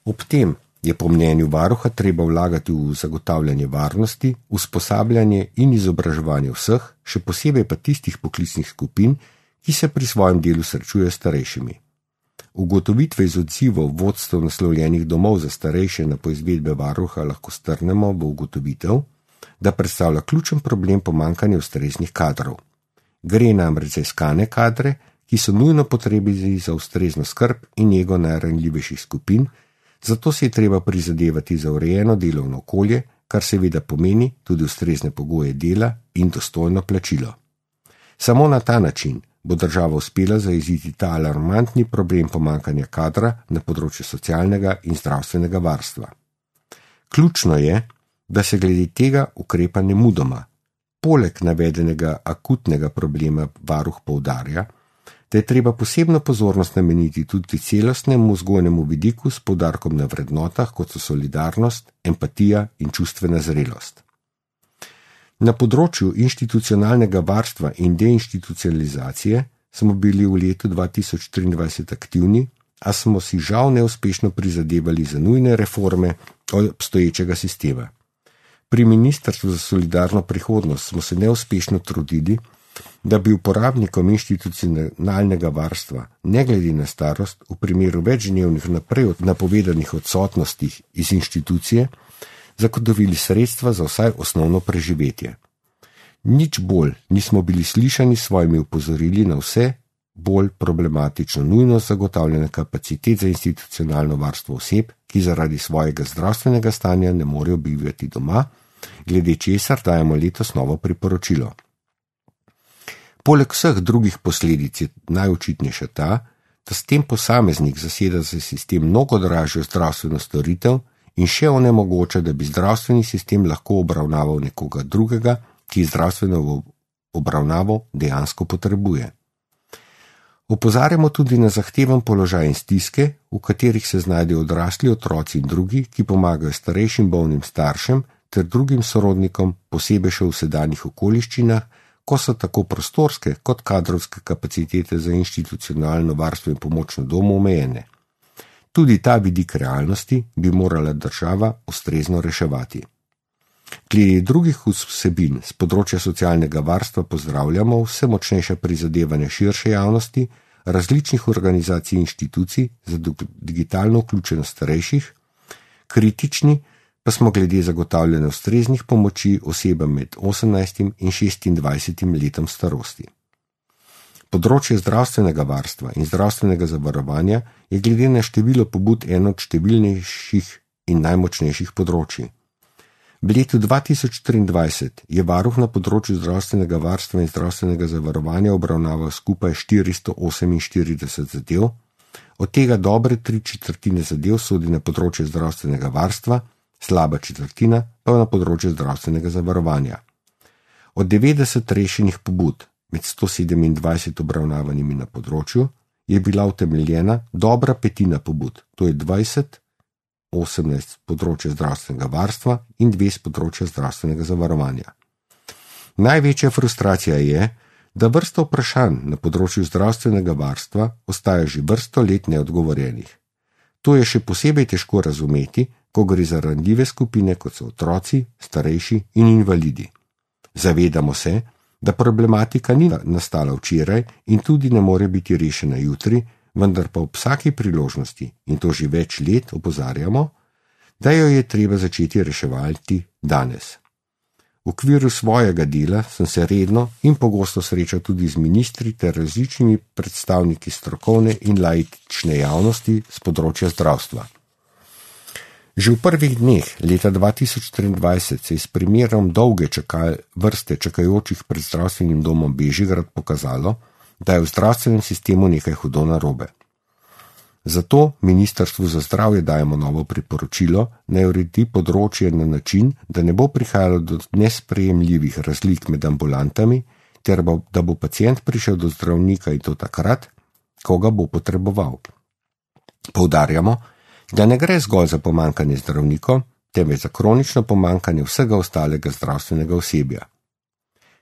Ob tem je po mnenju varuha treba vlagati v zagotavljanje varnosti, usposabljanje in izobraževanje vseh, še posebej pa tistih poklicnih skupin, ki se pri svojem delu srečujejo s starejšimi. Ugotovitve iz odzivov vodstev naslovljenih domov za starejše na poizvedbe varuha lahko strnemo v ugotovitev, da predstavlja ključen problem pomanjkanja ustreznih kadrov. Gre namreč za iskane kadre, ki so nujno potrebni za ustrezno skrb in nego najranljivejših skupin, zato se je treba prizadevati za urejeno delovno okolje, kar seveda pomeni tudi ustrezne pogoje dela in dostojno plačilo. Samo na ta način bo država uspela zajeziti ta alarmantni problem pomanjkanja kadra na področju socialnega in zdravstvenega varstva. Ključno je, da se glede tega ukrepa nemudoma. Poleg navedenega akutnega problema varuh poudarja, da je treba posebno pozornost nameniti tudi celostnemu vzgojnemu vidiku s poudarkom na vrednotah, kot so solidarnost, empatija in čustvena zrelost. Na področju institucionalnega varstva in deinstitucionalizacije smo bili v letu 2023 aktivni, a smo si žal neuspešno prizadevali za nujne reforme obstoječega sistema. Pri Ministrstvu za solidarno prihodnost smo se neuspešno trudili, da bi uporabnikom institucionalnega varstva, ne glede na starost, v primeru večdnevnih naprej napovedanih odsotnostih iz inštitucije, zagotovili sredstva za vsaj osnovno preživetje. Nič bolj nismo bili slišani s svojimi opozorili na vse bolj problematično nujnost zagotavljanja kapacitet za institucionalno varstvo oseb, ki zaradi svojega zdravstvenega stanja ne morejo bivati doma, glede česar dajemo letos novo priporočilo. Poleg vseh drugih posledic je najočitnejša ta, da s tem posameznik zaseda za sistem mnogo dražjo zdravstveno storitev in še onemogoča, da bi zdravstveni sistem lahko obravnaval nekoga drugega, ki zdravstveno obravnavo dejansko potrebuje. Opozarjamo tudi na zahteven položaj in stiske, v katerih se znajdejo odrasli otroci in drugi, ki pomagajo starejšim bolnim staršem ter drugim sorodnikom, posebej še v sedanjih okoliščinah, ko so tako prostorske kot kadrovske kapacitete za institucionalno varstvo in pomoč na domu omejene. Tudi ta vidik realnosti bi morala država ustrezno reševati. Glede drugih vsebin z področja socialnega varstva pozdravljamo vse močnejša prizadevanja širše javnosti, različnih organizacij in inštitucij za digitalno vključenost starejših, kritični pa smo glede zagotavljanja ustreznih pomoči osebam med 18 in 26 letom starosti. Področje zdravstvenega varstva in zdravstvenega zavarovanja je glede na število pobud eno od številnejših in najmočnejših področij. V letu 2023 je varuh na področju zdravstvenega varstva in zdravstvenega zavarovanja obravnaval skupaj 448 zadev, od tega dobre 3/4 zadev sodi na področje zdravstvenega varstva, slaba četrtina pa na področje zdravstvenega zavarovanja. Od 90 rešenih pobud med 127 obravnavanimi na področju je bila utemeljena dobra petina pobud, to je 18 področja zdravstvenega varstva in 2 področja zdravstvenega zavarovanja. Največja frustracija je, da vrsta vprašanj na področju zdravstvenega varstva ostaja že vrsto let neodgovorjenih. To je še posebej težko razumeti, ko gre za ranljive skupine, kot so otroci, starejši in invalidi. Zavedamo se, da problematika ni nastala včeraj in tudi ne more biti rešena jutri, vendar pa ob vsaki priložnosti, in to že več let, opozarjamo, da jo je treba začeti reševati danes. V okviru svojega dela sem se redno in pogosto srečal tudi z ministri ter različnimi predstavniki strokovne in laične javnosti z področja zdravstva. Že v prvih dneh leta 2023 se je s primerom dolge vrste čakajočih pred zdravstvenim domom Bežigrad pokazalo, da je v zdravstvenem sistemu nekaj hudo narobe. Zato Ministrstvu za zdravje dajemo novo priporočilo, naj uredi področje na način, da ne bo prihajalo do nesprejemljivih razlik med ambulantami, ter da bo pacient prišel do zdravnika in to takrat, ko ga bo potreboval. Poudarjamo, da ne gre zgolj za pomanjkanje zdravnikov, temveč za kronično pomanjkanje vsega ostalega zdravstvenega osebja.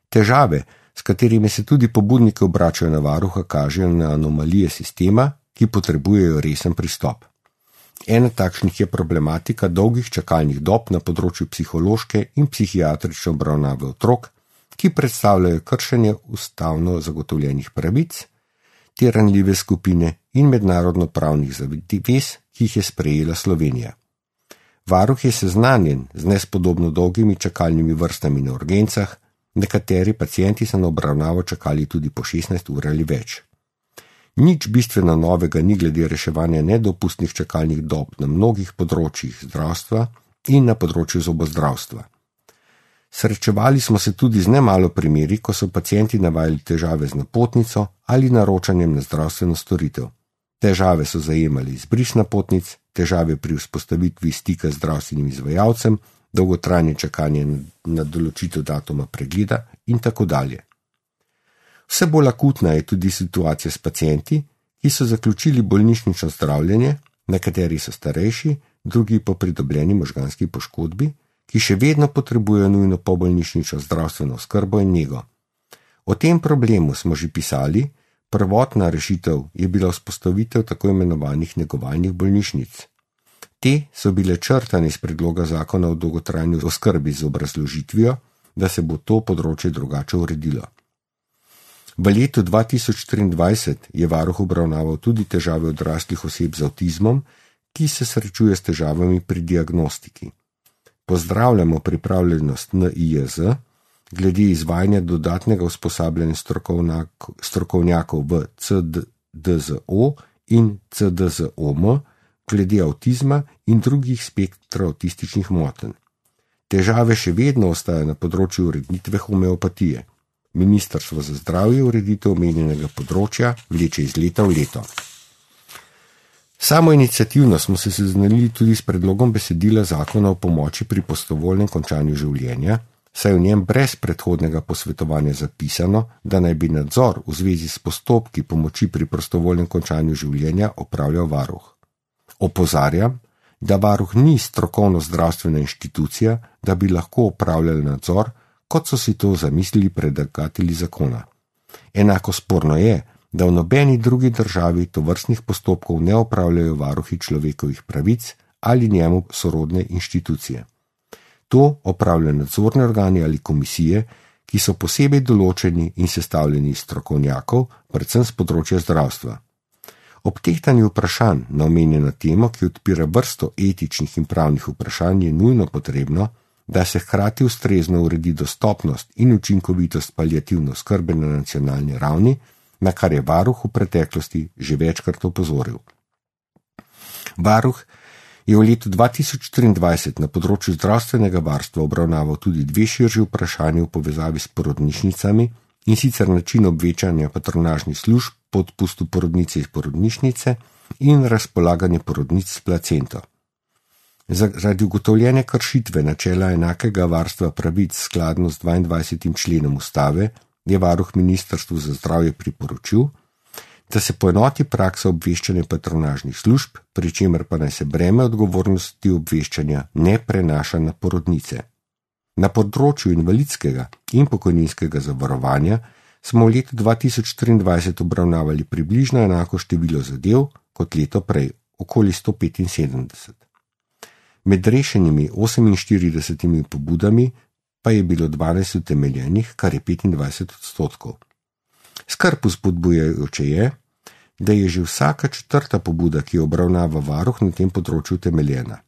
Težave, s katerimi se tudi pobudniki obračajo na varuha, kažejo na anomalije sistema, ki potrebujejo resen pristop. Ena takšnih je problematika dolgih čakalnih dob na področju psihološke in psihiatrične obravnave otrok, ki predstavljajo kršenje ustavno zagotovljenih pravic, te ranljive skupine in mednarodno pravnih zavez, ki jih je sprejela Slovenija. Varuh je seznanjen z nespodobno dolgimi čakalnimi vrstami na urgencah, nekateri pacienti so na obravnavo čakali tudi po 16 ur ali več. Nič bistveno novega ni glede reševanja nedopustnih čakalnih dob na mnogih področjih zdravstva in na področju zobozdravstva. Srečevali smo se tudi z nemalo primeri, ko so pacienti navajali težave z napotnico ali naročanjem na zdravstveno storitev. Težave so zajemali izbris napotnic, težave pri vzpostavitvi stika z zdravstvenim izvajalcem, dolgotrajne čakanje na določitev datuma pregleda in tako dalje. Vse bolj akutna je tudi situacija s pacienti, ki so zaključili bolnišnično zdravljenje, nekateri so starejši, drugi po pridobljeni možganski poškodbi, ki še vedno potrebujejo nujno pobolnišnično zdravstveno oskrbo in nego. O tem problemu smo že pisali, Prvotna rešitev je bila vzpostavitev tako imenovanih negovalnih bolnišnic. Te so bile črtane iz predloga zakona o dolgotrajni oskrbi z obrazložitvijo, da se bo to področje drugače uredilo. V letu 2023 je varuh obravnaval tudi težave odraslih oseb z avtizmom, ki se srečuje s težavami pri diagnostiki. Pozdravljamo pripravljenost NIJZ glede izvajanja dodatnega usposabljanja strokovnjakov v CDZO in CDZOM glede avtizma in drugih spektrov avtističnih motenj. Težave še vedno ostajajo na področju ureditve homeopatije. Ministrstvo za zdravje ureditev omenjenega področja vleče iz leta v leto. Samoiniciativno smo se seznanili tudi s predlogom besedila zakona o pomoči pri prostovoljnem končanju življenja, saj v njem brez predhodnega posvetovanja zapisano, da naj bi nadzor v zvezi s postopki pomoči pri prostovoljnem končanju življenja opravljal varuh. Opozarjam, da varuh ni strokovno zdravstvena inštitucija, da bi lahko opravljal nadzor, kot so si to zamislili predlagatelji zakona. Enako sporno je, da v nobeni drugi državi tovrstnih postopkov ne opravljajo varuhi človekovih pravic ali njemu sorodne inštitucije. To opravljajo nadzorni organi ali komisije, ki so posebej določeni in sestavljeni iz strokovnjakov, predvsem z področja zdravstva. Ob tehtanju vprašanj na omenjeno temo, ki odpira vrsto etičnih in pravnih vprašanj, je nujno potrebno, da se hkrati ustrezno uredi dostopnost in učinkovitost paliativne oskrbe na nacionalni ravni, na kar je varuh v preteklosti že večkrat opozoril. Varuh je v letu 2023 na področju zdravstvenega varstva obravnaval tudi dve širši vprašanji v povezavi s porodnišnicami, in sicer način obveščanja patronažnih služb po odpustu porodnice iz porodnišnice in razpolaganje porodnic s placento. Zaradi ugotovljene kršitve načela enakega varstva pravic skladno z 22. členom ustave je varuh Ministrstvu za zdravje priporočil, da se poenoti praksa obveščanja patronažnih služb, pri čemer pa naj se breme odgovornosti obveščanja ne prenaša na porodnice. Na področju invalidskega in pokojninskega zavarovanja smo v letu 2023 obravnavali približno enako število zadev kot leto prej, okoli 175. Med rešenimi 48 pobudami pa je bilo 12 utemeljenih, kar je 25%. Skrb vzpodbujajoče je, da je že vsaka četrta pobuda, ki jo obravnava varuh, na tem področju utemeljena.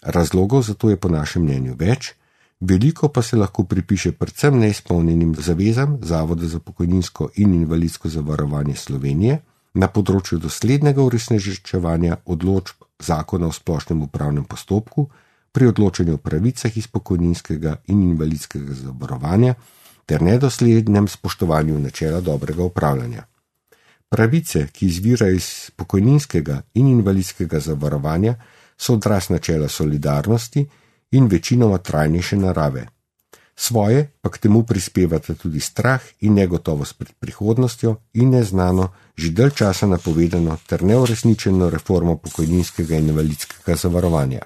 Razlogov za to je po našem mnenju več, veliko pa se lahko pripiše predvsem neizpolnjenim zavezam Zavoda za pokojninsko in invalidsko zavarovanje Slovenije na področju doslednega uresničevanja odločb Zakona o splošnem upravnem postopku pri odločanju o pravicah iz pokojninskega in invalidskega zavarovanja ter nedoslednem spoštovanju načela dobrega upravljanja. Pravice, ki izvirajo iz pokojninskega in invalidskega zavarovanja, so odraz načela solidarnosti in večinoma trajnejše narave. Svoje pa k temu prispevata tudi strah in negotovost pred prihodnostjo in neznano, že dalj časa napovedano ter neuresničeno reformo pokojninskega in invalidskega zavarovanja.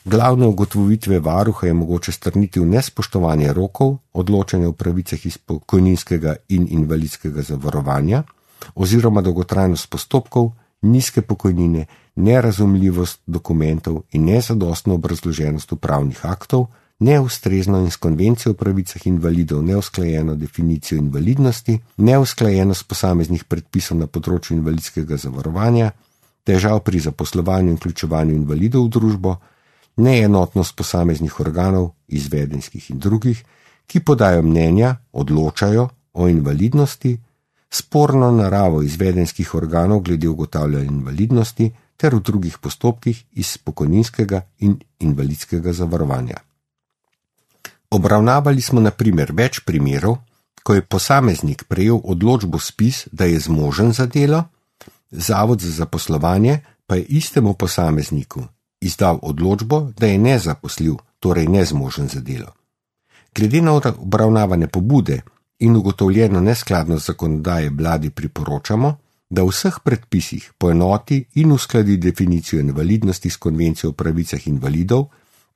Glavne ugotovitve varuha je mogoče strniti v nespoštovanje rokov, odločanje o pravicah iz pokojninskega in invalidskega zavarovanja oziroma dolgotrajnost postopkov, nizke pokojnine, nerazumljivost dokumentov in nezadostno obrazloženost upravnih aktov, neustrezno in s konvencijo o pravicah invalidov neusklajeno definicijo invalidnosti, neusklajenost posameznih predpisov na področju invalidskega zavarovanja, težav pri zaposlovanju in vključevanju invalidov v družbo, neenotnost posameznih organov, izvedenskih in drugih, ki podajo mnenja, odločajo o invalidnosti, sporno naravo izvedenskih organov glede ugotavljanja invalidnosti ter v drugih postopkih iz pokojninskega in invalidskega zavarovanja. Obravnavali smo na primer več primerov, ko je posameznik prejel odločbo spis, da je zmožen za delo, Zavod za zaposlovanje pa je istemu posamezniku izdal odločbo, da je nezaposljiv, torej nezmožen za delo. Glede na obravnavane pobude in ugotovljeno neskladnost zakonodaje vladi priporočamo, da v vseh predpisih poenoti in uskladi definicijo invalidnosti s konvencijo o pravicah invalidov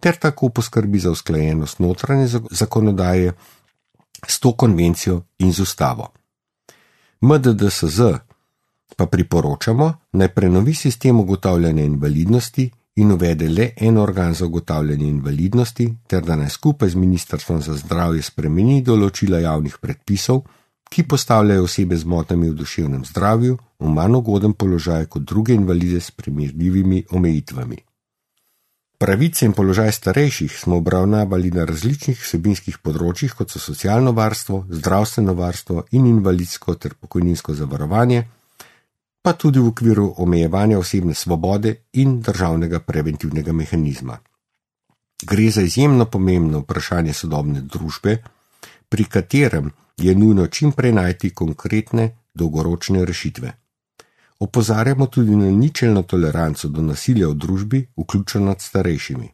ter tako poskrbi za usklajenost notranje zakonodaje s to konvencijo in z ustavo. MDDSZ pa priporočamo, naj prenovi sistem ugotavljanja invalidnosti in uvede le en organ za ugotavljanje invalidnosti, ter da naj skupaj z Ministrstvom za zdravje spremeni določila javnih predpisov, ki postavljajo osebe z motnjami v duševnem zdravju v manj ugoden položaj kot druge invalide s primerljivimi omejitvami. Pravice in položaj starejših smo obravnavali na različnih vsebinskih področjih, kot so socialno varstvo, zdravstveno varstvo in invalidsko ter pokojninsko zavarovanje, pa tudi v okviru omejevanja osebne svobode in državnega preventivnega mehanizma. Gre za izjemno pomembno vprašanje sodobne družbe, pri katerem je nujno čim prej najti konkretne, dolgoročne rešitve. Opozarjamo tudi na ničelno toleranco do nasilja v družbi, vključno nad starejšimi.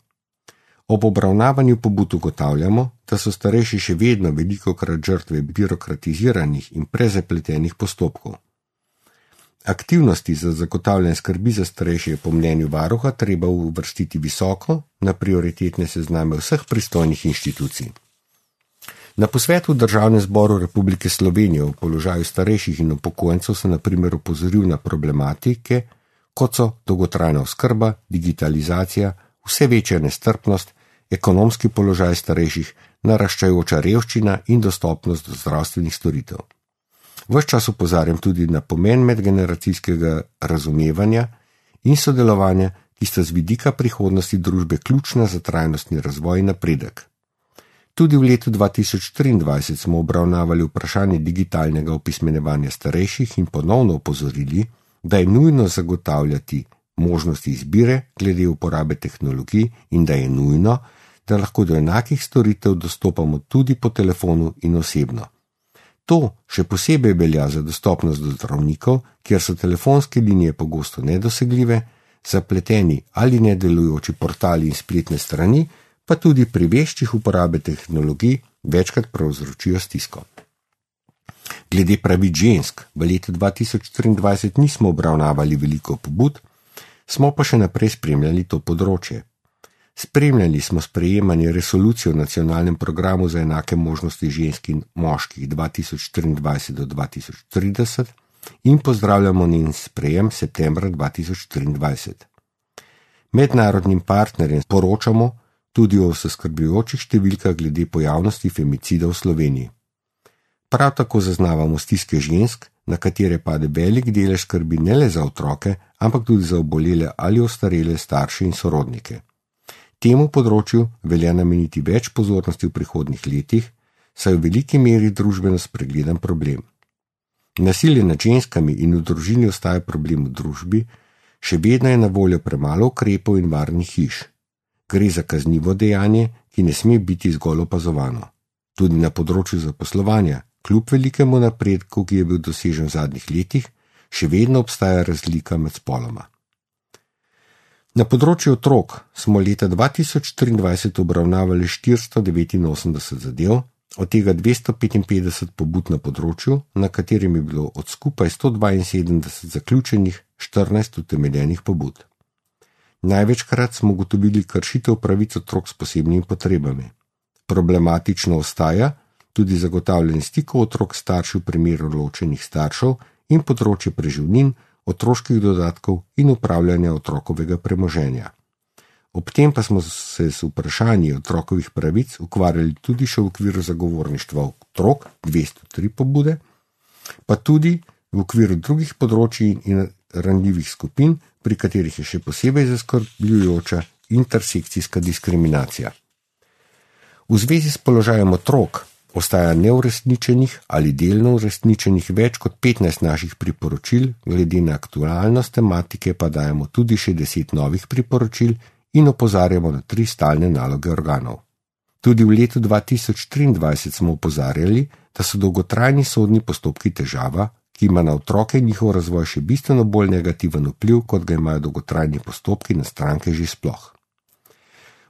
Ob obravnavanju pobud ugotavljamo, da so starejši še vedno velikokrat žrtve birokratiziranih in prezapletenih postopkov. Aktivnosti za zagotavljanje skrbi za starejše je po mnenju varuha treba uvrstiti visoko na prioritetne sezname vseh pristojnih inštitucij. Na posvetu v Državnem zboru Republike Slovenije o položaju starejših in upokojencev se na primer opozoril na problematike, kot so dolgotrajna oskrba, digitalizacija, vse večja nestrpnost, ekonomski položaj starejših, naraščajoča revščina in dostopnost do zdravstvenih storitev. Ves čas opozarjam tudi na pomen medgeneracijskega razumevanja in sodelovanja, ki sta z vidika prihodnosti družbe ključna za trajnostni razvoj in napredek. Tudi v letu 2023 smo obravnavali vprašanje digitalnega opismenjevanja starejših in ponovno opozorili, da je nujno zagotavljati možnosti izbire glede uporabe tehnologij in da je nujno, da lahko do enakih storitev dostopamo tudi po telefonu in osebno. To še posebej velja za dostopnost do zdravnikov, kjer so telefonske linije pogosto nedosegljive, zapleteni ali nedelujoči portali in spletne strani, pa tudi pri veščih uporabe tehnologij večkrat povzročijo stisko. Glede pravic žensk v letu 2023 nismo obravnavali veliko pobud, smo pa še naprej spremljali to področje. Spremljali smo sprejemanje resolucije o nacionalnem programu za enake možnosti žensk in moških 2024 do 2030 in pozdravljamo njen sprejem septembra 2023. Mednarodnim partnerjem poročamo tudi o zaskrbljujočih številkah glede pojavnosti femicida v Sloveniji. Prav tako zaznavamo stiske žensk, na katere pade velik delež skrbi ne le za otroke, ampak tudi za obolele ali ostarele starše in sorodnike. Temu področju velja nameniti več pozornosti v prihodnjih letih, saj v veliki meri družbeno spregledan problem. Nasilje nad ženskami in v družini ostaja problem v družbi, še vedno je na voljo premalo ukrepov in varnih hiš. Gre za kaznivo dejanje, ki ne sme biti zgolj opazovano. Tudi na področju zaposlovanja, kljub velikemu napredku, ki je bil dosežen v zadnjih letih, še vedno obstaja razlika med spoloma. Na področju otrok smo leta 2023 obravnavali 489 zadev, od tega 255 pobud na področju, na katerem je bilo od skupaj 172 zaključenih 14 utemeljenih pobud. Največkrat smo ugotovili kršitev pravic otrok s posebnimi potrebami. Problematično ostaja tudi zagotavljanje stikov otrok staršev v primeru ločenih staršev in področje preživnin, otroških dodatkov in upravljanja otrokovega premoženja. Ob tem pa smo se z vprašanji otrokovih pravic ukvarjali tudi še v okviru zagovorništva otrok, 203 pobude, pa tudi v okviru drugih področji in ranljivih skupin, pri katerih je še posebej zaskrbljujoča intersekcijska diskriminacija. V zvezi s položajem otrok ostaja neuresničenih ali delno uresničenih več kot 15 naših priporočil, glede na aktualnost tematike pa dajemo tudi še 10 novih priporočil in opozarjamo na 3 stalne naloge organov. Tudi v letu 2023 smo opozarjali, da so dolgotrajni sodni postopki težava, ki ima na otroke in njihov razvoj še bistveno bolj negativen vpliv, kot ga imajo dolgotrajni postopki na stranke že sploh.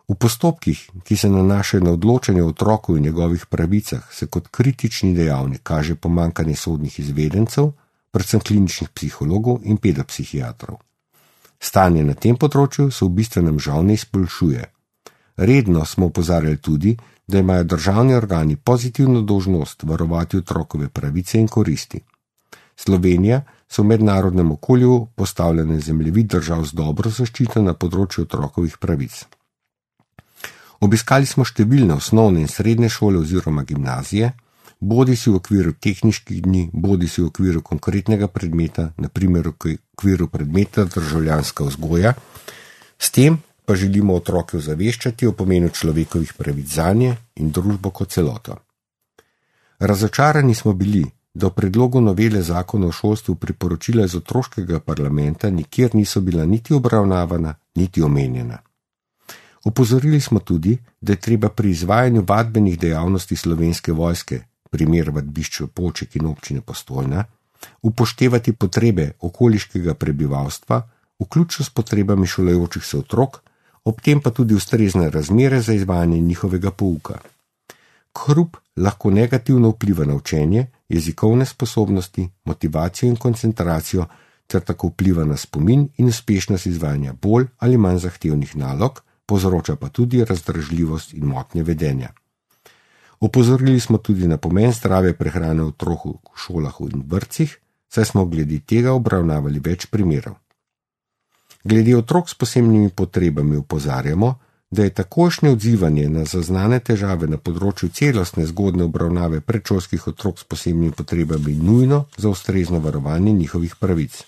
V postopkih, ki se nanašajo na odločanje o otroku in njegovih pravicah, se kot kritični dejavnik kaže pomanjkanje sodnih izvedencev, predvsem kliničnih psihologov in pedopsihiatrov. Stanje na tem področju se v bistvenem žal ne izboljšuje. Redno smo opozarjali tudi, da imajo državni organi pozitivno dolžnost varovati otrokove pravice in koristi. Slovenija so v mednarodnem okolju postavljene zemljevid držav z dobro zaščito na področju otrokovih pravic. Obiskali smo številne osnovne in srednje šole oziroma gimnazije, bodisi v okviru tehniških dni, bodisi v okviru konkretnega predmeta, na primer v okviru predmeta državljanska vzgoja. S tem pa želimo otroke ozaveščati o pomenu človekovih pravic zanje in družbo kot celoto. Razočarani smo bili, da v predlogu novele zakona o šolstvu priporočila iz otroškega parlamenta nikjer niso bila niti obravnavana, niti omenjena. Opozorili smo tudi, da je treba pri izvajanju vadbenih dejavnosti Slovenske vojske, primer vadbišč Poček in občine Postojna, upoštevati potrebe okoliškega prebivalstva, vključno s potrebami šolajočih se otrok, ob tem pa tudi ustrezne razmere za izvajanje njihovega pouka. Hrup lahko negativno vpliva na učenje, jezikovne sposobnosti, motivacijo in koncentracijo, ter tako vpliva na spomin in uspešnost izvajanja bolj ali manj zahtevnih nalog, povzroča pa tudi razdražljivost in motnje vedenja. Opozorili smo tudi na pomen zdrave prehrane otrok v šolah in vrtcih, saj smo glede tega obravnavali več primerov. Glede otrok s posebnimi potrebami opozarjamo, da je takojšnje odzivanje na zaznane težave na področju celostne zgodne obravnave predšolskih otrok s posebnimi potrebami nujno za ustrezno varovanje njihovih pravic.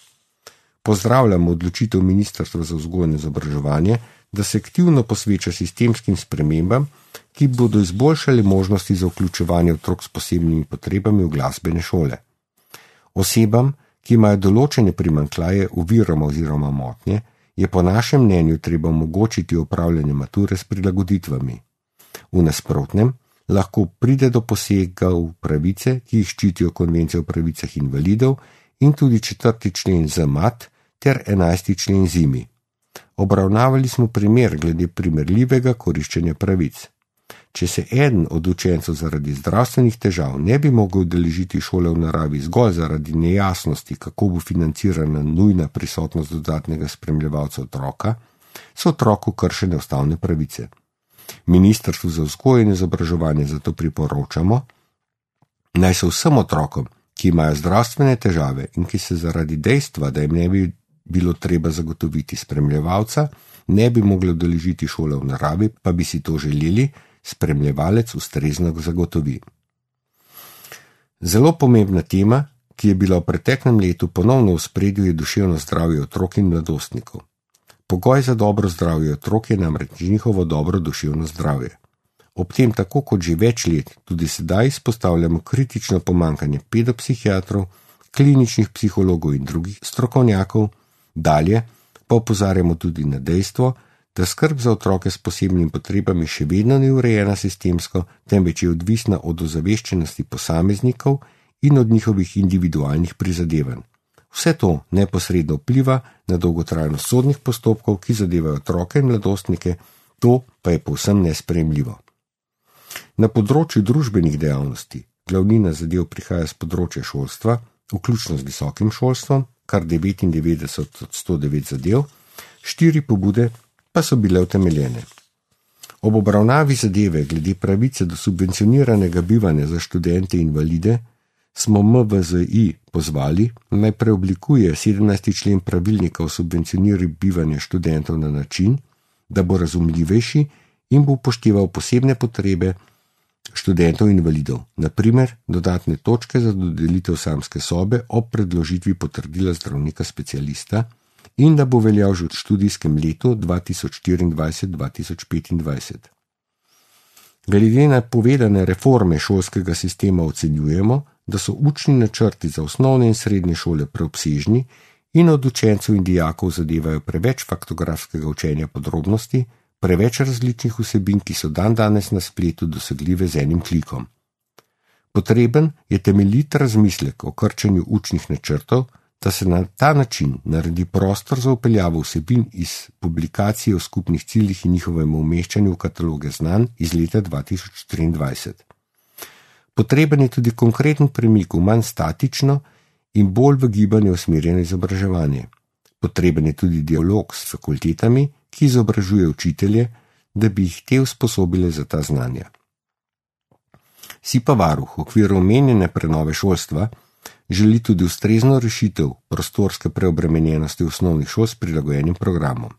Pozdravljamo odločitev Ministrstva za vzgojo in izobraževanje, da se aktivno posveča sistemskim spremembam, ki bodo izboljšali možnosti za vključevanje otrok s posebnimi potrebami v glasbene šole. Osebam, ki imajo določene primanjkljaje, oviroma oziroma motnje, je po našem mnenju treba omogočiti opravljanje mature s prilagoditvami. V nasprotnem lahko pride do posega v pravice, ki jih ščitijo Konvencija o pravicah invalidov in tudi 4. člen ZMAT ter 11. člen ZIMI. Obravnavali smo primer glede primerljivega koriščenja pravic. Če se eden od učencev zaradi zdravstvenih težav ne bi mogel udeležiti šole v naravi zgolj zaradi nejasnosti, kako bo financirana nujna prisotnost dodatnega spremljevalca otroka, so otroku kršene ustavne pravice. Ministrstvu za vzgojo in izobraževanje zato priporočamo, naj se vsem otrokom, ki imajo zdravstvene težave in ki se zaradi dejstva, da jim ne bi bilo treba zagotoviti spremljevalca, ne bi mogli udeležiti šole v naravi, pa bi si to želeli, spremljevalec ustrezno zagotovi. Zelo pomembna tema, ki je bila v preteklem letu ponovno v ospredju, je duševno zdravje otrok in mladostnikov. Pogoj za dobro zdravje otrok je namreč njihovo dobro duševno zdravje. Ob tem tako kot že več let tudi sedaj izpostavljamo kritično pomanjkanje pedopsihiatrov, kliničnih psihologov in drugih strokovnjakov, dalje pa opozarjamo tudi na dejstvo, da skrb za otroke s posebnimi potrebami še vedno ni urejena sistemsko, temveč je odvisna od ozaveščenosti posameznikov in od njihovih individualnih prizadevanj. Vse to neposredno vpliva na dolgotrajnost sodnih postopkov, ki zadevajo otroke in mladostnike, to pa je povsem nesprejemljivo. Na področju družbenih dejavnosti glavnina zadev prihaja z področja šolstva, vključno z visokim šolstvom, kar 99 od 109 zadev, 4 pobude pa so bile utemeljene. Ob obravnavi zadeve glede pravice do subvencioniranega bivanja za študente in invalide smo MVZI pozvali, naj preoblikuje 17. člen pravilnika o subvencioniranju bivanja študentov na način, da bo razumljivejši in bo upošteval posebne potrebe študentov in invalidov, na primer dodatne točke za dodelitev samske sobe ob predložitvi potrdila zdravnika specialista, in da bo veljal že v študijskem letu 2024-2025. Glede na povedane reforme šolskega sistema ocenjujemo, da so učni načrti za osnovne in srednje šole preobsežni in od učencev in dijakov zadevajo preveč faktografskega učenja podrobnosti, preveč različnih vsebin, ki so dandanes na spletu dosegljive z enim klikom. Potreben je temeljit razmislek o krčenju učnih načrtov, da se na ta način naredi prostor za vpeljavo vsebin iz publikacije o skupnih ciljih in njihovem umeščanju v kataloge znanj iz leta 2023. Potreben je tudi konkreten premik v manj statično in bolj v gibanje usmerjeno izobraževanje. Potreben je tudi dialog s fakultetami, ki izobražuje učitelje, da bi jih te usposobile za ta znanja. Si pa varuh v okviru omenjene prenove šolstva Želi tudi ustrezno rešitev prostorske preobremenjenosti osnovnih šol s prilagojenim programom.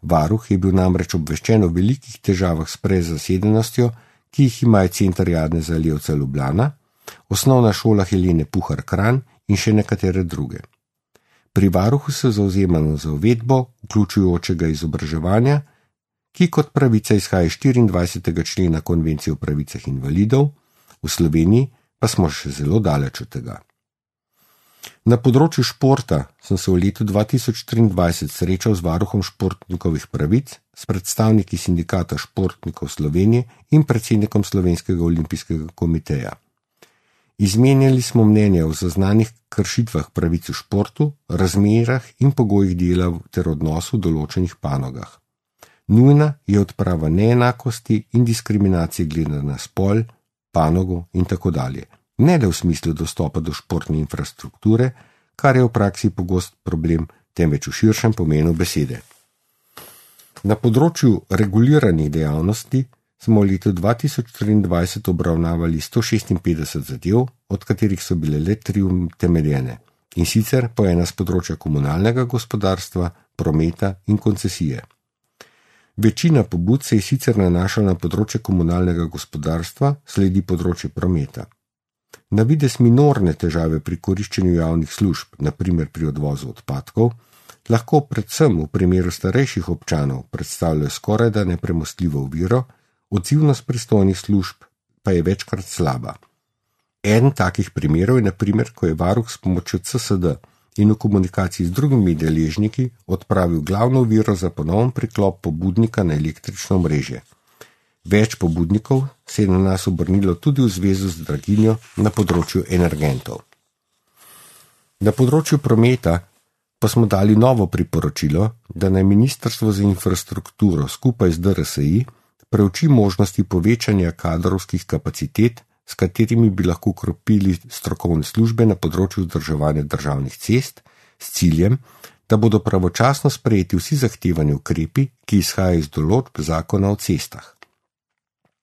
Varuh je bil namreč obveščen o velikih težavah s prezasedenostjo, ki jih imajo Center Janeza Zaljevca Ljubljana, Osnovna šola Helene Puhar Kranj in še nekatere druge. Pri varuhu se zavzemamo za uvedbo vključujočega izobraževanja, ki kot pravica izhaja iz 24. člena Konvencije o pravicah invalidov, v Sloveniji pa smo še zelo daleč od tega. Na področju športa sem se v letu 2023 srečal z varuhom športnikovih pravic, s predstavniki Sindikata športnikov Slovenije in predsednikom Slovenskega olimpijskega komiteja. Izmenjali smo mnenja o zaznanih kršitvah pravic v športu, razmerah in pogojih dela ter odnosu v določenih panogah. Nujna je odprava neenakosti in diskriminacije glede na spol, panogo in tako dalje. Ne le v smislu dostopa do športne infrastrukture, kar je v praksi pogost problem, temveč v širšem pomenu besede. Na področju reguliranih dejavnosti smo v letu 2023 obravnavali 156 zadev, od katerih so bile le 3 utemeljene, in sicer po ena z področja komunalnega gospodarstva, prometa in koncesije. Večina pobud se je sicer nanašala na področje komunalnega gospodarstva, sledi področje prometa. Na vides minorne težave pri koriščenju javnih služb, na primer pri odvozu odpadkov, lahko predvsem v primeru starejših občanov predstavljajo skorajda nepremostljivo oviro, odzivnost pristojnih služb pa je večkrat slaba. Eden takih primerov je na primer, ko je varuh s pomočjo CSD in v komunikaciji z drugimi deležniki odpravil glavno oviro za ponoven priklop pobudnika na električno omrežje. Več pobudnikov se je na nas obrnilo tudi v zvezu z draginjo na področju energentov. Na področju prometa pa smo dali novo priporočilo, da naj Ministrstvo za infrastrukturo skupaj z DRSI preuči možnosti povečanja kadrovskih kapacitet, s katerimi bi lahko kropili strokovne službe na področju vzdrževanja državnih cest, s ciljem, da bodo pravočasno sprejeti vsi zahtevani ukrepi, ki izhajajo iz določb zakona o cestah.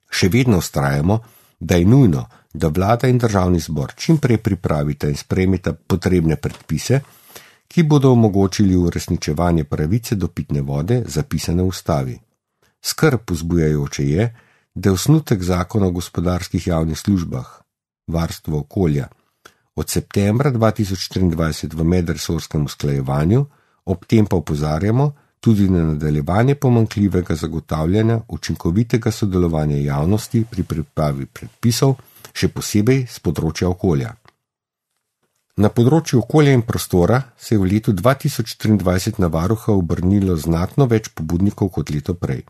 Še vedno vztrajamo, da je nujno, da vlada in državni zbor čim prej pripravita in sprejmeta potrebne predpise, ki bodo omogočili uresničevanje pravice do pitne vode, zapisane v ustavi. Skrb vzbujajoče je, da je osnutek zakona o gospodarskih javnih službah, varstvo okolja, od septembra 2023 v medresorskem usklajevanju, ob tem pa opozarjamo tudi na nadaljevanje pomanjkljivega zagotavljanja učinkovitega sodelovanja javnosti pri pripravi predpisov, še posebej z področja okolja. Na področju okolja in prostora se je v letu 2023 na varuha obrnilo znatno več pobudnikov kot leto prej.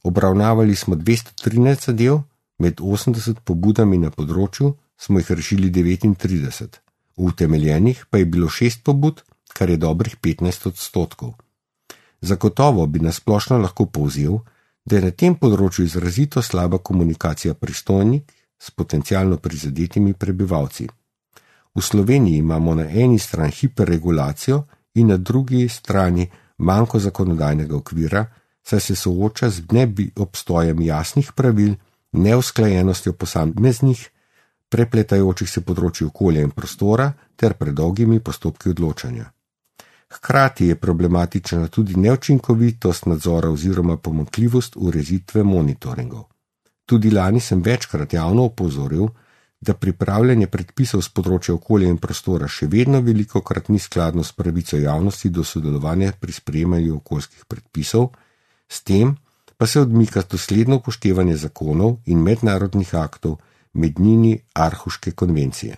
Obravnavali smo 213 zadev, med 80 pobudami na področju smo jih rešili 39. V utemeljenih pa je bilo 6 pobud, kar je dobrih 15%. Zagotovo bi nasplošno lahko povzel, da je na tem področju izrazito slaba komunikacija pristojnih s potencialno prizadetimi prebivalci. V Sloveniji imamo na eni strani hiperregulacijo in na drugi strani manko zakonodajnega okvira, saj se sooča z obstojem jasnih pravil, neusklajenostjo posameznih, prepletajočih se področji okolja in prostora ter predolgimi postopki odločanja. Hkrati je problematična tudi neučinkovitost nadzora oziroma pomanjkljivost ureditve monitoringov. Tudi lani sem večkrat javno opozoril, da pripravljanje predpisov z področja okolja in prostora še vedno velikokrat ni skladno s pravico javnosti do sodelovanja pri sprejemanju okoljskih predpisov, s tem pa se odmika dosledno upoštevanje zakonov in mednarodnih aktov, med njimi Aarhuške konvencije.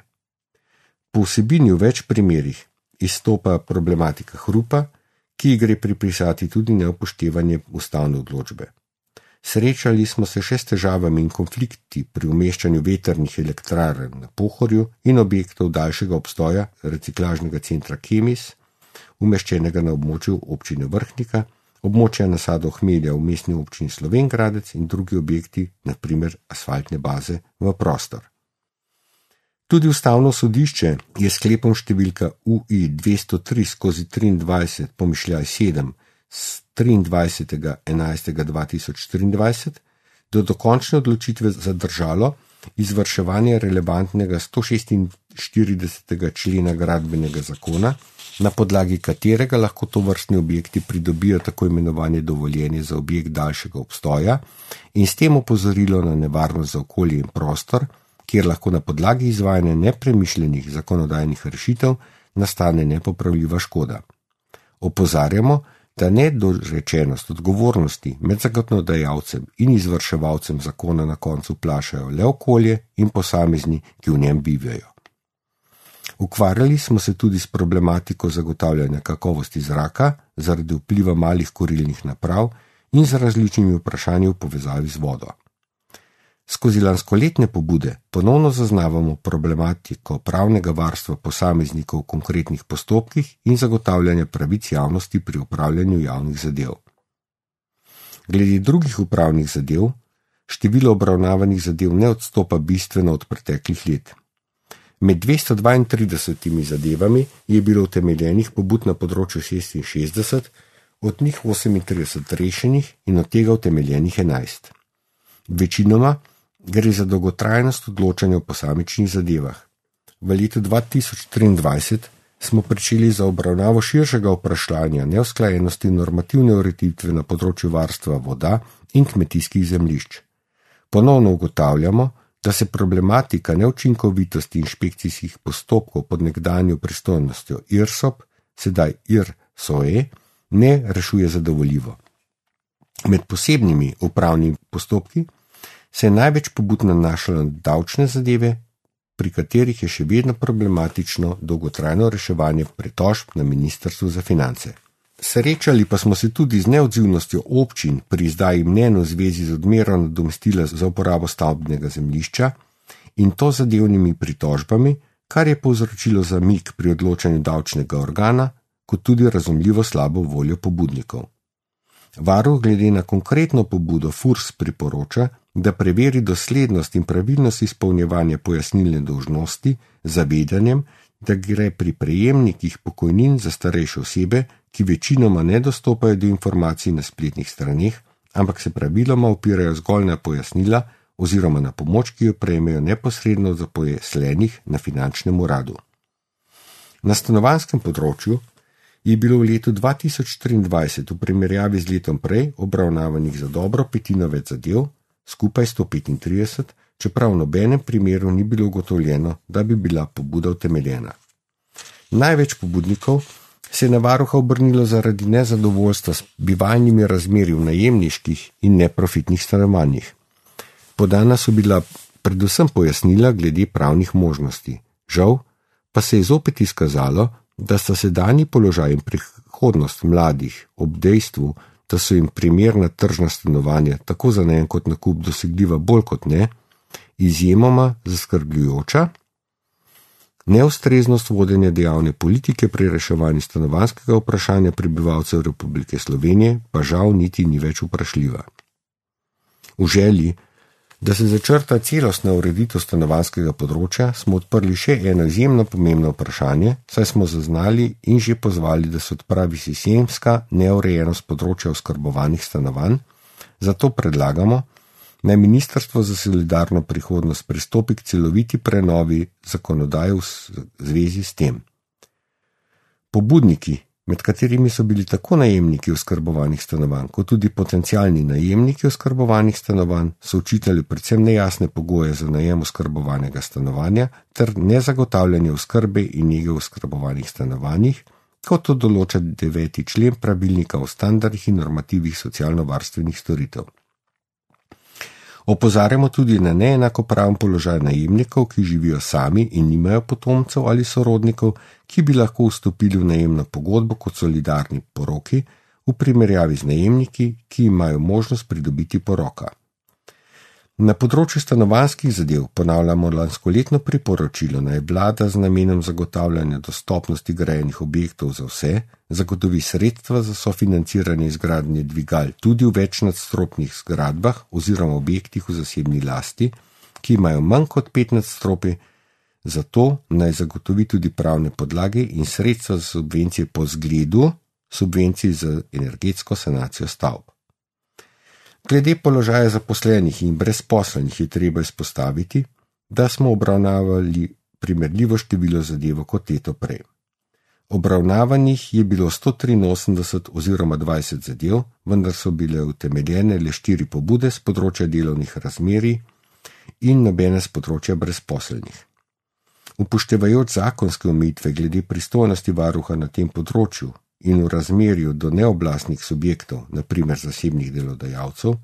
Po vsebini v več primerih izstopa problematika hrupa, ki ji gre pripisati tudi neupoštevanje ustavne odločbe. Srečali smo se še s težavami in konflikti pri umeščanju vetrnih elektrarn na Pohorju in objektov daljšega obstoja reciklažnega centra Kemis, umeščenega na območju občine Vrhnika, območja nasadov hmelja v mestni občini Slovenj Gradec in drugi objekti, na primer asfaltne baze, v prostor. Tudi ustavno sodišče je sklepom številka UI 203/23 pomišljaj 7 z 23.11.2023 do dokončne odločitve zadržalo, izvrševanje relevantnega 146. člena gradbenega zakona, na podlagi katerega lahko tovrstni objekti pridobijo tako imenovanje dovoljenje za objekt daljšega obstoja in s tem opozorilo na nevarnost za okolje in prostor, kjer lahko na podlagi izvajanja nepremišljenih zakonodajnih rešitev nastane nepopravljiva škoda. Opozarjamo, da nedorečenost odgovornosti med zakonodajalcem in izvrševalcem zakona na koncu plašajo le okolje in posamezni, ki v njem bivajo. Ukvarjali smo se tudi s problematiko zagotavljanja kakovosti zraka zaradi vpliva malih kurilnih naprav in z različnimi vprašanji v povezavi z vodo. Skozi lanskoletne pobude ponovno zaznavamo problematiko pravnega varstva posameznikov v konkretnih postopkih in zagotavljanja pravic javnosti pri upravljanju javnih zadev. Glede drugih upravnih zadev, število obravnavanih zadev ne odstopa bistveno od preteklih let. Med 232 zadevami je bilo utemeljenih pobud na področju 66, od njih 38 rešenih in od tega utemeljenih 11. Večinoma gre za dolgotrajnost odločanja o posamičnih zadevah. V letu 2023 smo pričeli za obravnavo širšega vprašanja neusklajenosti normativne ureditve na področju varstva voda in kmetijskih zemljišč. Ponovno ugotavljamo, da se problematika neučinkovitosti inšpekcijskih postopkov pod nekdanjo pristojnostjo IRSOP, sedaj IRSOE, ne rešuje zadovoljivo. Med posebnimi upravnimi postopki se je največ pobud nanašalo na davčne zadeve, pri katerih je še vedno problematično dolgotrajno reševanje pritožb na Ministrstvu za finance. Srečali pa smo se tudi z neodzivnostjo občin pri izdaji mnenj v zvezi z odmero nadomestila za uporabo stavbnega zemljišča in to zadevnimi pritožbami, kar je povzročilo zamik pri odločanju davčnega organa, kot tudi razumljivo slabo voljo pobudnikov. Varuh glede na konkretno pobudo FURS priporoča, da preveri doslednost in pravilnost izpolnjevanja pojasnilne dolžnosti z zavedanjem, da gre pri prejemnikih pokojnin za starejše osebe, ki večinoma ne dostopajo do informacij na spletnih straneh, ampak se praviloma opirajo zgolj na pojasnila oziroma na pomoč, ki jo prejmejo neposredno od zaposlenih na finančnem uradu. Na stanovanjskem področju je bilo v letu 2023 v primerjavi z letom prej obravnavanih za dobro petino več zadev, skupaj 135, čeprav v nobenem primeru ni bilo ugotovljeno, da bi bila pobuda utemeljena. Največ pobudnikov se je na varuha obrnilo zaradi nezadovoljstva s bivalnimi razmeri v najemniških in neprofitnih stanovanjih. Podana so bila predvsem pojasnila glede pravnih možnosti. Žal pa se je zopet izkazalo, da sta sedanji položaj in prihodnost mladih ob dejstvu, da so jim primerna tržna stanovanja tako za najem kot nakup dosegljiva bolj kot ne, izjemoma zaskrbljujoča, neustreznost vodenja dejavne politike pri reševanju stanovanjskega vprašanja prebivalcev Republike Slovenije pa žal niti ni več vprašljiva. V želji, da se začrta celostna ureditev stanovanjskega področja, smo odprli še eno izjemno pomembno vprašanje, saj smo zaznali in že pozvali, da se odpravi sistemska neurejenost področja oskrbovanih stanovanj, zato predlagamo, naj Ministrstvo za solidarno prihodnost pristopi k celoviti prenovi zakonodaje v zvezi s tem. Pobudniki, med katerimi so bili tako najemniki oskrbovanih stanovanj, kot tudi potencialni najemniki oskrbovanih stanovanj, so očitali predvsem nejasne pogoje za najem oskrbovanega stanovanja ter nezagotavljanje oskrbe in nege v oskrbovanih stanovanjih, kot to določa 9. člen pravilnika o standardih in normativih socialno-varstvenih storitev. Opozarjamo tudi na neenakopraven položaj najemnikov, ki živijo sami in nimajo potomcev ali sorodnikov, ki bi lahko vstopili v najemno pogodbo kot solidarni poroki v primerjavi z najemniki, ki imajo možnost pridobiti poroka. Na področju stanovanjskih zadev ponavljamo lanskoletno priporočilo, naj vlada z namenom zagotavljanja dostopnosti grajenih objektov za vse zagotovi sredstva za sofinanciranje izgradnje dvigal tudi v večnadstropnih zgradbah oziroma objektih v zasebni lasti, ki imajo manj kot 5 nadstropij, zato naj zagotovi tudi pravne podlage in sredstva za subvencije po zgledu subvencij za energetsko sanacijo stavb. Glede položaja zaposlenih in brezposelnih je treba izpostaviti, da smo obravnavali primerljivo število zadev kot leto prej. Obravnavanih je bilo 183 oziroma 20 zadev, vendar so bile utemeljene le 4 pobude z področja delovnih razmerij in nobene z področja brezposelnih. Upoštevajoč zakonske omejitve glede pristojnosti varuha na tem področju in v razmerju do neoblastnih subjektov, na primer zasebnih delodajalcev,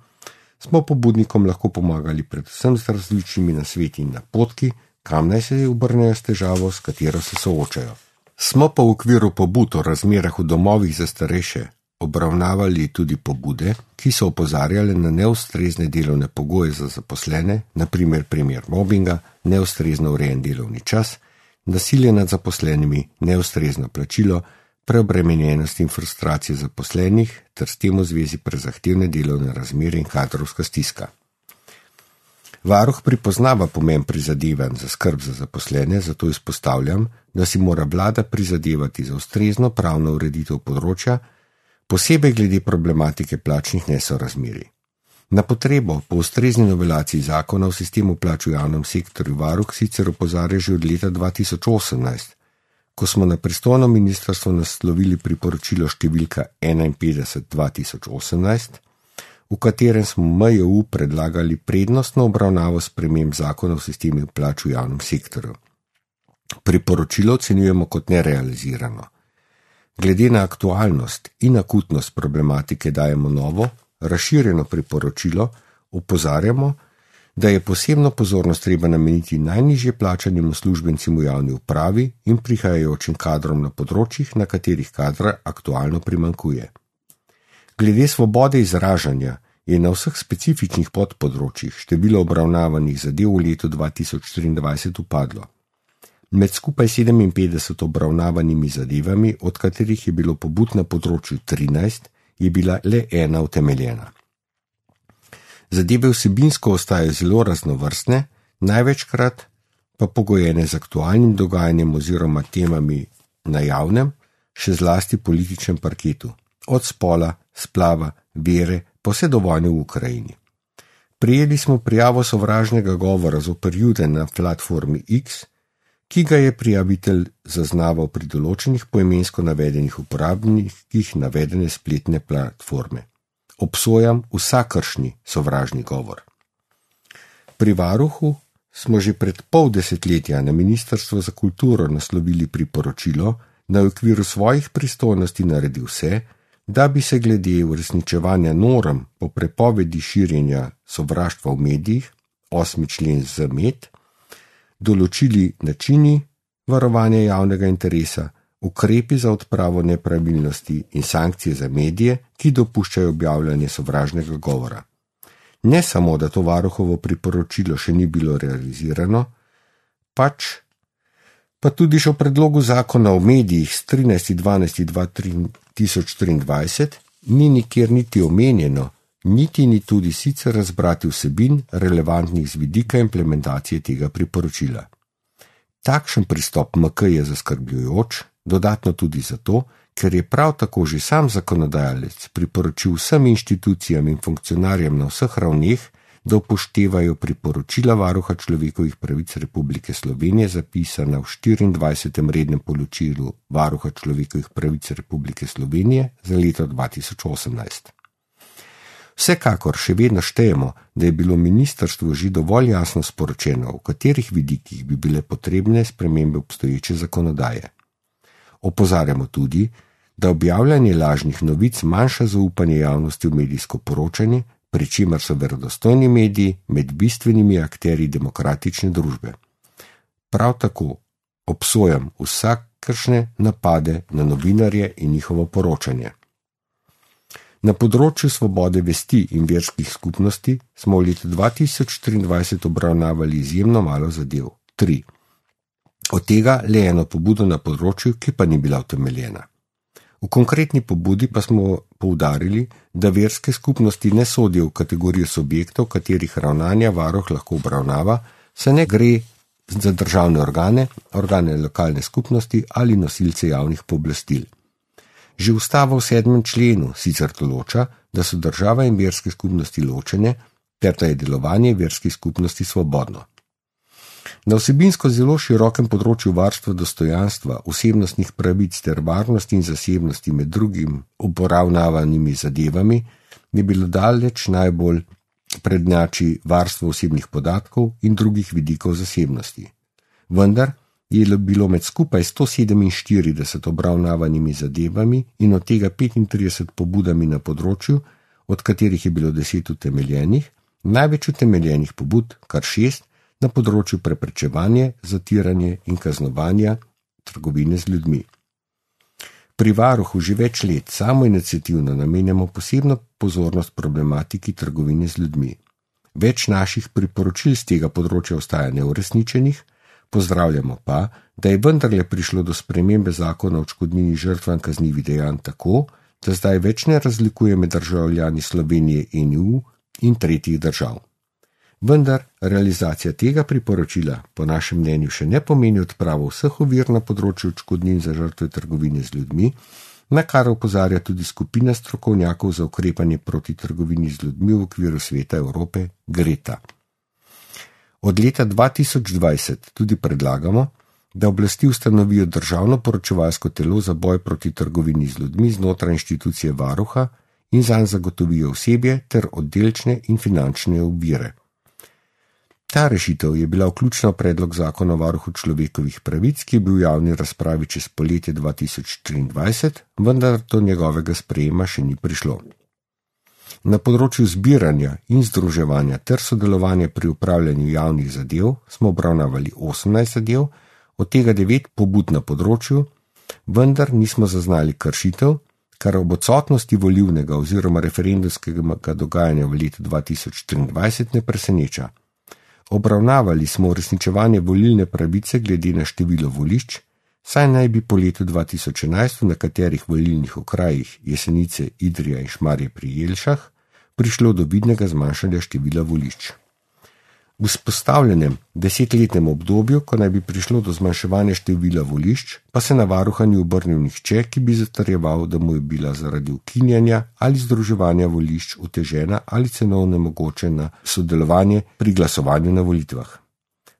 smo pobudnikom lahko pomagali predvsem z različnimi nasveti in napotki, kam naj se obrnejo s težavo, s katero se soočajo. Smo pa v okviru pobud o razmerah v domovih za starejše obravnavali tudi pobude, ki so opozarjale na neustrezne delovne pogoje za zaposlene, na primer mobinga, neustrezno urejen delovni čas, nasilje nad zaposlenimi, neustrezno plačilo, preobremenjenost in frustracije zaposlenih ter s tem v zvezi prezahtevne delovne razmere in kadrovska stiska. Varuh pripoznava pomen prizadevanj za skrb za zaposlene, zato izpostavljam, da si mora vlada prizadevati za ustrezno pravno ureditev področja, posebej glede problematike plačnih nesorazmerij. Na potrebo po ustrezni novelaciji zakona o sistemu plač v javnem sektorju varuh sicer opozarja že od leta 2018, ko smo na pristojno ministrstvo naslovili priporočilo številka 51/2018, v katerem smo MJU predlagali prednostno obravnavo sprememb zakona o sistemu plač v javnem sektorju. Priporočilo ocenjujemo kot nerealizirano. Glede na aktualnost in akutnost problematike dajemo novo, razširjeno priporočilo, opozarjamo, da je posebno pozornost treba nameniti najnižje plačanim uslužbencem v javni upravi in prihajajočim kadrom na področjih, na katerih kadra aktualno primanjkuje. Glede svobode izražanja je na vseh specifičnih podpodročjih število obravnavanih zadev v letu 2023 upadlo. Med skupaj 57 obravnavanimi zadevami, od katerih je bilo pobud na področju 13, je bila le ena utemeljena. Zadeve vsebinsko ostajajo zelo raznovrstne, največkrat pa pogojene z aktualnim dogajanjem oziroma temami na javnem, še zlasti političnem parketu, od spola, splava, vere, pa vse do vojne v Ukrajini. Prijeli smo prijavo sovražnega govora zoper Jude na platformi X, ki ga je prijavitelj zaznaval pri določenih poimensko navedenih uporabnikih navedene spletne platforme. Obsojam vsakršni sovražni govor. Pri varuhu smo že pred pol desetletja na Ministrstvo za kulturo naslovili priporočilo, da v okviru svojih pristojnosti naredi vse, da bi se glede uresničevanja norm po prepovedi širjenja sovraštva v medijih, 8. člen ZMed, določili načini varovanja javnega interesa, ukrepi za odpravo nepravilnosti in sankcije za medije, ki dopuščajo objavljanje sovražnega govora. Ne samo, da to varuhovo priporočilo še ni bilo realizirano, pa tudi še v predlogu zakona o medijih s 13.12.2023 ni nikjer niti omenjeno, niti ni tudi sicer razbrati vsebin relevantnih z vidika implementacije tega priporočila. Takšen pristop MK je zaskrbljujoč, dodatno tudi zato, ker je prav tako že sam zakonodajalec priporočil vsem inštitucijam in funkcionarjem na vseh ravneh, da upoštevajo priporočila Varuha človekovih pravic Republike Slovenije zapisana v 24. rednem poročilu Varuha človekovih pravic Republike Slovenije za leto 2018. Vsekakor še vedno štejemo, da je bilo ministrstvu že dovolj jasno sporočeno, v katerih vidikih bi bile potrebne spremembe obstoječe zakonodaje. Opozarjamo tudi, da objavljanje lažnih novic manjša zaupanje javnosti v medijsko poročanje, pri čemer so verodostojni mediji med bistvenimi akterji demokratične družbe. Prav tako obsojam vsakršne napade na novinarje in njihovo poročanje. Na področju svobode vesti in verskih skupnosti smo v letu 2023 obravnavali izjemno malo zadev, 3. Od tega le eno pobudo na področju, ki pa ni bila utemeljena. V konkretni pobudi pa smo poudarili, da verske skupnosti ne sodijo v kategorijo subjektov, katerih ravnanja varuh lahko obravnava, saj ne gre za državne organe, organe lokalne skupnosti ali nosilce javnih pooblastil. Že ustava v 7. členu sicer določa, da so država in verske skupnosti ločene, ter da je delovanje verskih skupnosti svobodno. Na vsebinsko zelo širokem področju varstva dostojanstva, osebnostnih pravic ter varnosti in zasebnosti med drugim obravnavanimi zadevami je bilo daleč najbolj prednjači varstvo osebnih podatkov in drugih vidikov zasebnosti. Vendar je bilo med skupaj 147 obravnavanimi zadevami in od tega 35 pobudami na področju, od katerih je bilo 10 utemeljenih, največ utemeljenih pobud, kar 6, na področju preprečevanja, zatiranja in kaznovanja trgovine z ljudmi. Pri varuhu že več let samoiniciativno namenjamo posebno pozornost problematiki trgovine z ljudmi. Več naših priporočil z tega področja ostaja neuresničenih, pozdravljamo pa, da je vendarle prišlo do spremembe zakona o odškodnini žrtvam kaznivih dejanj tako, da zdaj več ne razlikuje med državljani Slovenije in EU in tretjih držav. Vendar realizacija tega priporočila po našem mnenju še ne pomeni odpravo vseh ovir na področju odškodnin za žrtve trgovine z ljudmi, na kar opozarja tudi skupina strokovnjakov za ukrepanje proti trgovini z ljudmi v okviru Sveta Evrope Greta. Od leta 2020 tudi predlagamo, da oblasti ustanovijo državno poročevalsko telo za boj proti trgovini z ljudmi znotraj inštitucije varuha in zanj zagotovijo osebje ter oddelčne in finančne ovire. Ta rešitev je bila vključena v predlog zakona o varuhu človekovih pravic, ki je bil v javni razpravi čez poletje 2023, vendar do njegovega sprejema še ni prišlo. Na področju zbiranja in združevanja ter sodelovanja pri upravljanju javnih zadev smo obravnavali 18 zadev, od tega 9 pobud na področju, vendar nismo zaznali kršitev, kar ob odsotnosti volilnega oziroma referendumskega dogajanja v letu 2023 ne preseneča. Obravnavali smo uresničevanje volilne pravice glede na število volišč, saj naj bi po letu 2011 v nekaterih volilnih okrajih Jesenice, Idrija in Šmarje pri Jelšah prišlo do vidnega zmanjšanja števila volišč. V vzpostavljenem 10-letnem obdobju, ko naj bi prišlo do zmanjševanja števila volišč, pa se na varuha ni obrnil nihče, ki bi zatrjeval, da mu je bila zaradi ukinjanja ali združevanja volišč otežena ali celo onemogočena sodelovanje pri glasovanju na volitvah.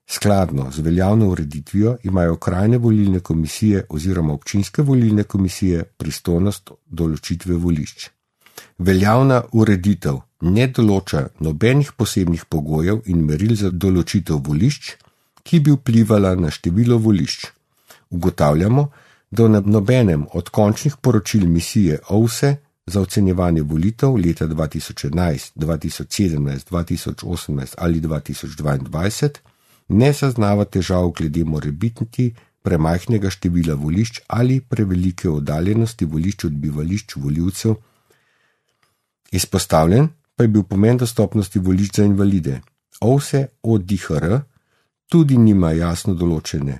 Skladno z veljavno ureditvijo imajo okrajne volilne komisije oziroma občinske volilne komisije pristojnost določitve volišč. Veljavna ureditev ne določa nobenih posebnih pogojev in meril za določitev volišč, ki bi vplivala na število volišč. Ugotavljamo, da na nobenem od končnih poročil misije OVSE za ocenjevanje volitev leta 2011, 2017, 2018 ali 2022 ne zaznava težav glede morebitnosti premajhnega števila volišč ali prevelike oddaljenosti volišč od bivališč volivcev. Izpostavljen pa je bil pomen dostopnosti volišč za invalide. OVSE ODIHR tudi nima jasno določene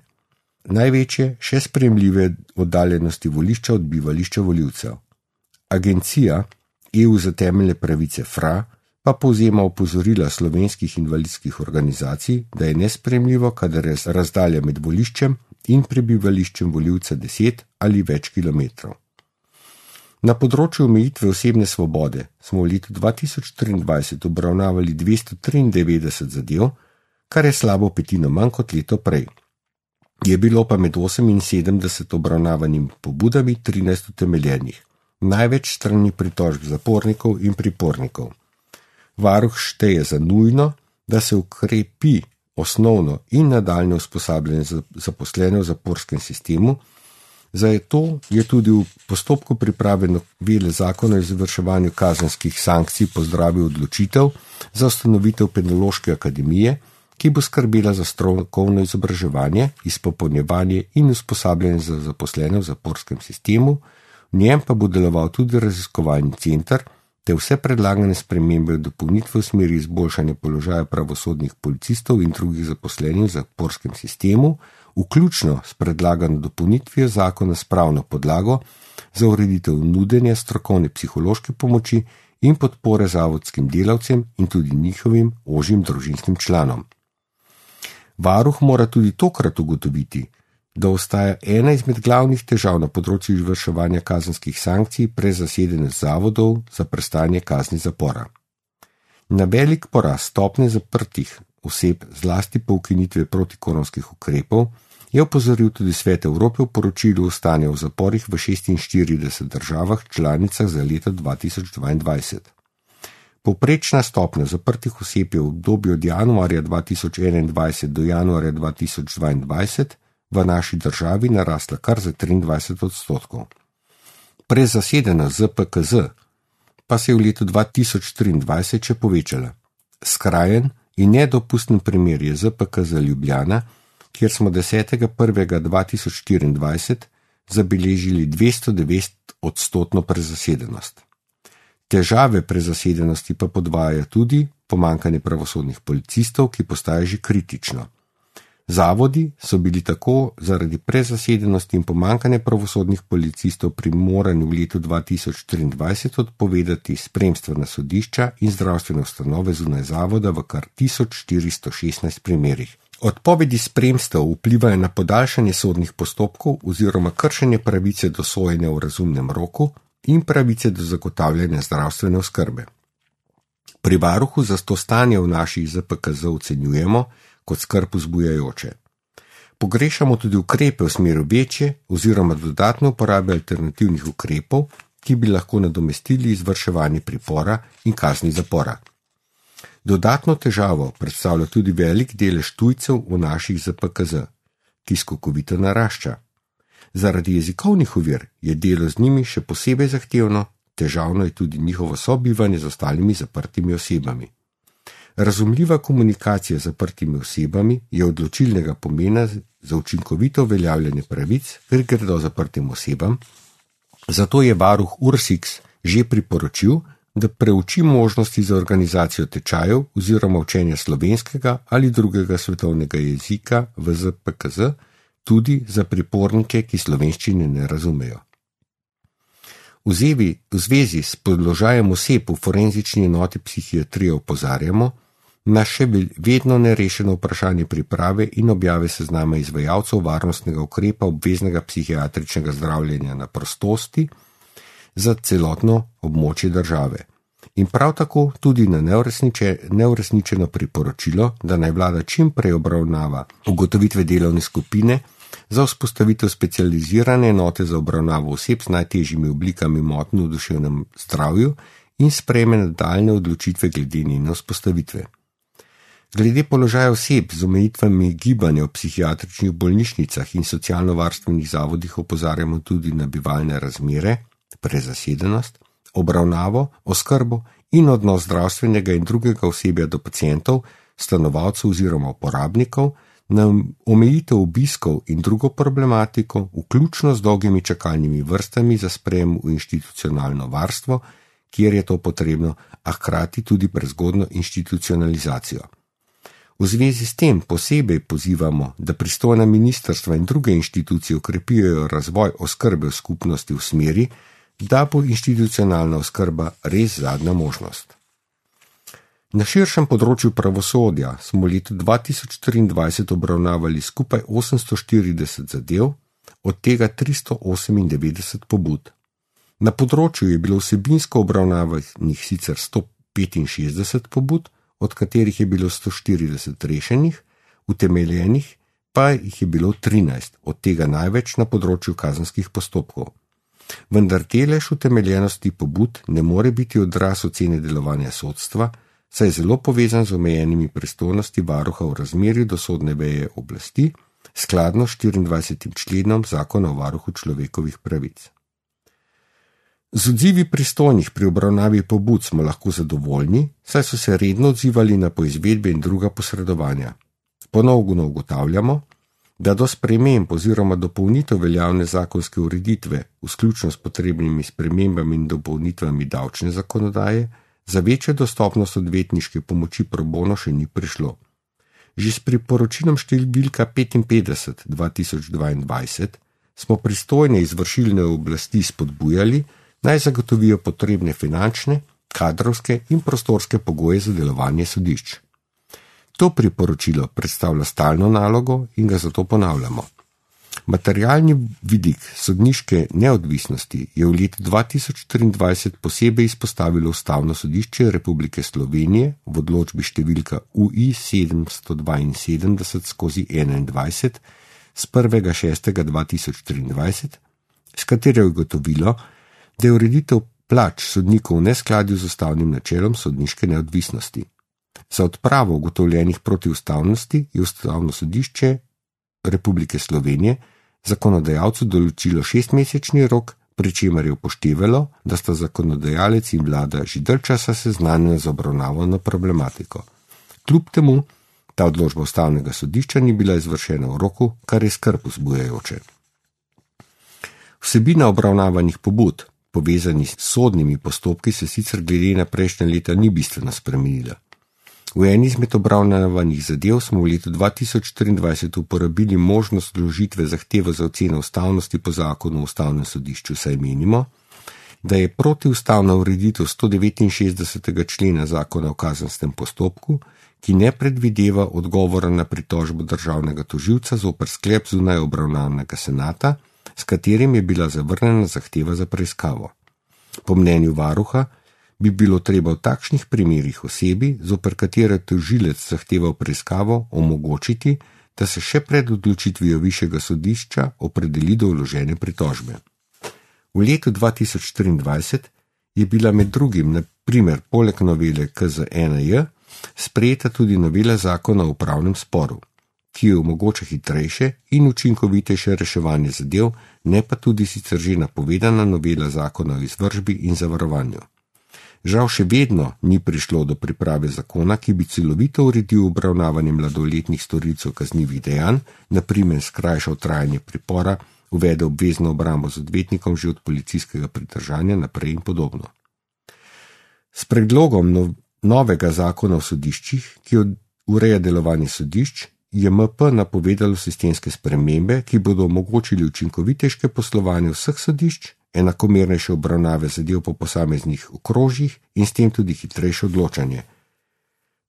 največje, še sprejemljive oddaljenosti volišča od bivališča volivcev. Agencija EU za temeljne pravice FRA pa povzema opozorila slovenskih invalidskih organizacij, da je nesprejemljivo, kadar je razdalja med voliščem in prebivališčem volivca 10 ali več kilometrov. Na področju omejitve osebne svobode smo v letu 2023 obravnavali 293 zadev, kar je slabo petino manj kot leto prej. Je bilo pa med 78 obravnavanimi pobudami 13 utemeljenih, največ strani pritožb zapornikov in pripornikov. Varuh šteje za nujno, da se ukrepi osnovno in nadaljnje usposabljanje zaposlene v zaporskem sistemu. Zato je tudi v postopku priprave novele zakona o izvrševanju kazenskih sankcij pozdravil odločitev za ustanovitev Penološke akademije, ki bo skrbela za strokovno izobraževanje, izpopolnjevanje in usposabljanje za zaposlene v zaporskem sistemu, v njem pa bo deloval tudi raziskovalni center, te vse predlagane spremembe in dopolnitve v smeri izboljšanja položaja pravosodnih policistov in drugih zaposlenih v zaporskem sistemu, vključno s predlagano dopolnitvijo zakona s pravno podlago za ureditev nudenja strokovne psihološke pomoči in podpore zavodskim delavcem in tudi njihovim ožjim družinskim članom. Varuh mora tudi tokrat ugotoviti, da ostaja ena izmed glavnih težav na področju izvrševanja kazenskih sankcij prezasedenost zavodov za prestajanje kazni zapora. Na velik porast stopnje zaprtih oseb, zlasti po ukinitvi protikoronskih ukrepov, je opozoril tudi Svet Evrope v poročilu o stanju v zaporih v 46 državah članicah za leto 2022. Povprečna stopnja zaprtih oseb je v obdobju od januarja 2021 do januarja 2022 v naši državi narasla kar za 23%. Prezasedenost ZPKZ pa se je v letu 2023 še povečala. Skrajen in nedopusten primer je ZPKZ Ljubljana, kjer smo 10.1.2024 zabeležili 209% prezasedenost. Težave prezasedenosti pa podvajajo tudi pomanjkanje pravosodnih policistov, ki postaje že kritično. Zavodi so bili tako zaradi prezasedenosti in pomanjkanja pravosodnih policistov primorani v letu 2023 odpovedati spremstvena sodišča in zdravstvene ustanove zunaj zavoda v kar 1416 primerih. Odpovedi spremstev vplivajo na podaljšanje sodnih postopkov oziroma kršenje pravice do sojenja v razumnem roku in pravice do zagotavljanja zdravstvene oskrbe. Pri varuhu zato stanje v naših ZPKZ ocenjujemo kot skrb vzbujajoče. Pogrešamo tudi ukrepe v smeru večje oziroma dodatne uporabe alternativnih ukrepov, ki bi lahko nadomestili izvrševanje pripora in kazni zapora. Dodatno težavo predstavlja tudi velik delež tujcev v naših ZPKZ, ki skokovito narašča. Zaradi jezikovnih ovir je delo z njimi še posebej zahtevno, težavno je tudi njihovo sobivanje z ostalimi zaprtimi osebami. Razumljiva komunikacija z zaprtimi osebami je odločilnega pomena za učinkovito uveljavljanje pravic, ker gredo zaprtim osebam, zato je varuh URSIKS že priporočil, da preuči možnosti za organizacijo tečajev oziroma učenja slovenskega ali drugega svetovnega jezika v ZPKZ, tudi za pripornike, ki slovenščine ne razumejo. V zvezi s položajem oseb v forenzični enoti psihiatrije opozarjamo na še vedno nerešeno vprašanje priprave in objave seznama izvajalcev varnostnega ukrepa obveznega psihiatričnega zdravljenja na prostosti za celotno območje države. In prav tako tudi na neuresničeno priporočilo, da naj vlada čim prej obravnava ugotovitve delovne skupine za vzpostavitev specializirane enote za obravnavo oseb z najtežjimi oblikami motenj v duševnem zdravju in sprejme nadaljnje odločitve glede njene vzpostavitve. Glede položaja oseb z omejitvami gibanja v psihiatričnih bolnišnicah in socialno-varstvenih zavodih opozarjamo tudi na bivalne razmere, prezasedenost, obravnavo, oskrbo in odnos zdravstvenega in drugega osebja do pacientov, stanovalcev oziroma uporabnikov, na omejitev obiskov in drugo problematiko, vključno z dolgimi čakalnimi vrstami za sprejem v institucionalno varstvo, kjer je to potrebno, a hkrati tudi prezgodnjo institucionalizacijo. V zvezi s tem posebej pozivamo, da pristojna ministrstva in druge inštitucije ukrepijo razvoj oskrbe v skupnosti v smeri, da bo institucionalna oskrba res zadnja možnost. Na širšem področju pravosodja smo v letu 2023 obravnavali skupaj 840 zadev, od tega 398 pobud. Na področju je bilo vsebinsko obravnavanih sicer 165 pobud, od katerih je bilo 140 rešenih, utemeljenih pa jih je bilo 13, od tega največ na področju kazenskih postopkov. Vendar delež utemeljenosti pobud ne more biti odraz ocene delovanja sodstva, saj je zelo povezan z omejenimi pristojnosti varuha v razmerju do sodne veje oblasti, skladno s 24. členom Zakona o varuhu človekovih pravic. Z odzivi pristojnih pri obravnavi pobud smo lahko zadovoljni, saj so se redno odzivali na poizvedbe in druga posredovanja. Ponovno ugotavljamo, da do sprememb oziroma dopolnitev veljavne zakonske ureditve, vključno s potrebnimi spremembami in dopolnitvami davčne zakonodaje, za večjo dostopnost odvetniške pomoči pro bono še ni prišlo. Že s priporočilom številka 55/2022 smo pristojne izvršilne oblasti spodbujali, naj zagotovijo potrebne finančne, kadrovske in prostorske pogoje za delovanje sodišč. To priporočilo predstavlja stalno nalogo in ga zato ponavljamo. Materialni vidik sodniške neodvisnosti je v letu 2023 posebej izpostavilo Ustavno sodišče Republike Slovenije v odločbi številka UI 772/21 z 1.6.2023, s katero je ugotovilo, da je ureditev plač sodnikov v neskladju z ustavnim načelom sodniške neodvisnosti. Za odpravo ugotovljenih protiustavnosti je Ustavno sodišče Republike Slovenije zakonodajalcu določilo 6-mesečni rok, pri čemer je upoštevalo, da sta zakonodajalec in vlada že dalj časa seznanjena z obravnavano problematiko. Kljub temu, ta odločba Ustavnega sodišča ni bila izvršena v roku, kar je skrb vzbujajoče. Vsebina obravnavanih pobud, povezanih s sodnimi postopki, se sicer glede na prejšnja leta ni bistveno spremenila. V eni izmed obravnavanih zadev smo v letu 2023 uporabili možnost vložitve zahteve za oceno ustavnosti po zakonu o Ustavnem sodišču, saj menimo, da je protiustavna ureditev 169. člena zakona o kazenskem postopku, ki ne predvideva odgovora na pritožbo državnega tožilca zoper sklep zunaj obravnavanega senata, s katerim je bila zavrnjena zahteva za preiskavo. Po mnenju varuha bi bilo treba v takšnih primerih osebi, zoper katere tožilec zahteval preiskavo, omogočiti, da se še pred odločitvijo višjega sodišča opredeli do vložene pritožbe. V letu 2023 je bila med drugim, na primer, poleg novele KZ-1J, sprejeta tudi novela zakona o upravnem sporu, ki jo omogoča hitrejše in učinkovitejše reševanje zadev, ne pa tudi sicer že napovedana novela zakona o izvršbi in zavarovanju. Žal še vedno ni prišlo do priprave zakona, ki bi celovito uredil obravnavanje mladoletnih storilcev kaznivih dejanj, na primer skrajšal trajanje pripora, uvedel obvezno obrambo z odvetnikom že od policijskega pridržanja naprej in podobno. S predlogom novega zakona o sodiščih, ki ureja delovanje sodišč, je MP napovedalo sistemske spremembe, ki bodo omogočili učinkovitejše poslovanje vseh sodišč, enakomernejše obravnave zadev po posameznih okrožjih in s tem tudi hitrejše odločanje.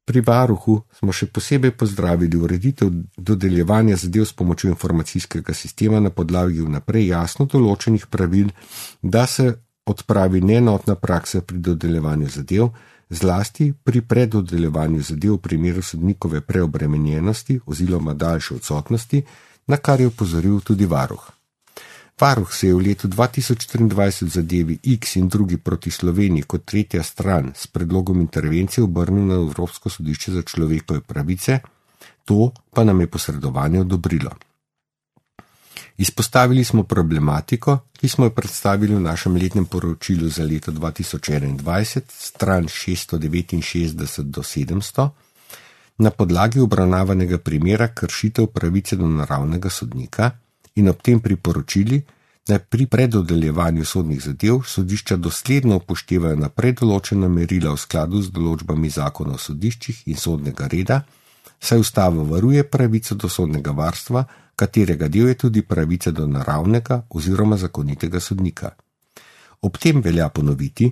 Pri varuhu smo še posebej pozdravili ureditev dodeljevanja zadev s pomočjo informacijskega sistema na podlagi vnaprej jasno določenih pravil, da se odpravi neenotna praksa pri dodeljevanju zadev, zlasti pri predodeljevanju zadev v primeru sodnikove preobremenjenosti oziroma daljše odsotnosti, na kar je opozoril tudi varuh. Varuh se je v letu 2023 v zadevi X in drugi proti Sloveniji kot tretja stran s predlogom intervencije obrnil na Evropsko sodišče za človekove pravice, to pa nam je posredovanje odobrilo. Izpostavili smo problematiko, ki smo jo predstavili v našem letnem poročilu za leto 2021, stran 669 do 700, na podlagi obravnavanega primera kršitev pravice do naravnega sodnika in ob tem priporočili, da pri predodeljevanju sodnih zadev sodišča dosledno upoštevajo naprej določena merila v skladu z določbami zakona o sodiščih in sodnega reda, saj ustava varuje pravico do sodnega varstva, katerega del je tudi pravica do naravnega oziroma zakonitega sodnika. Ob tem velja ponoviti,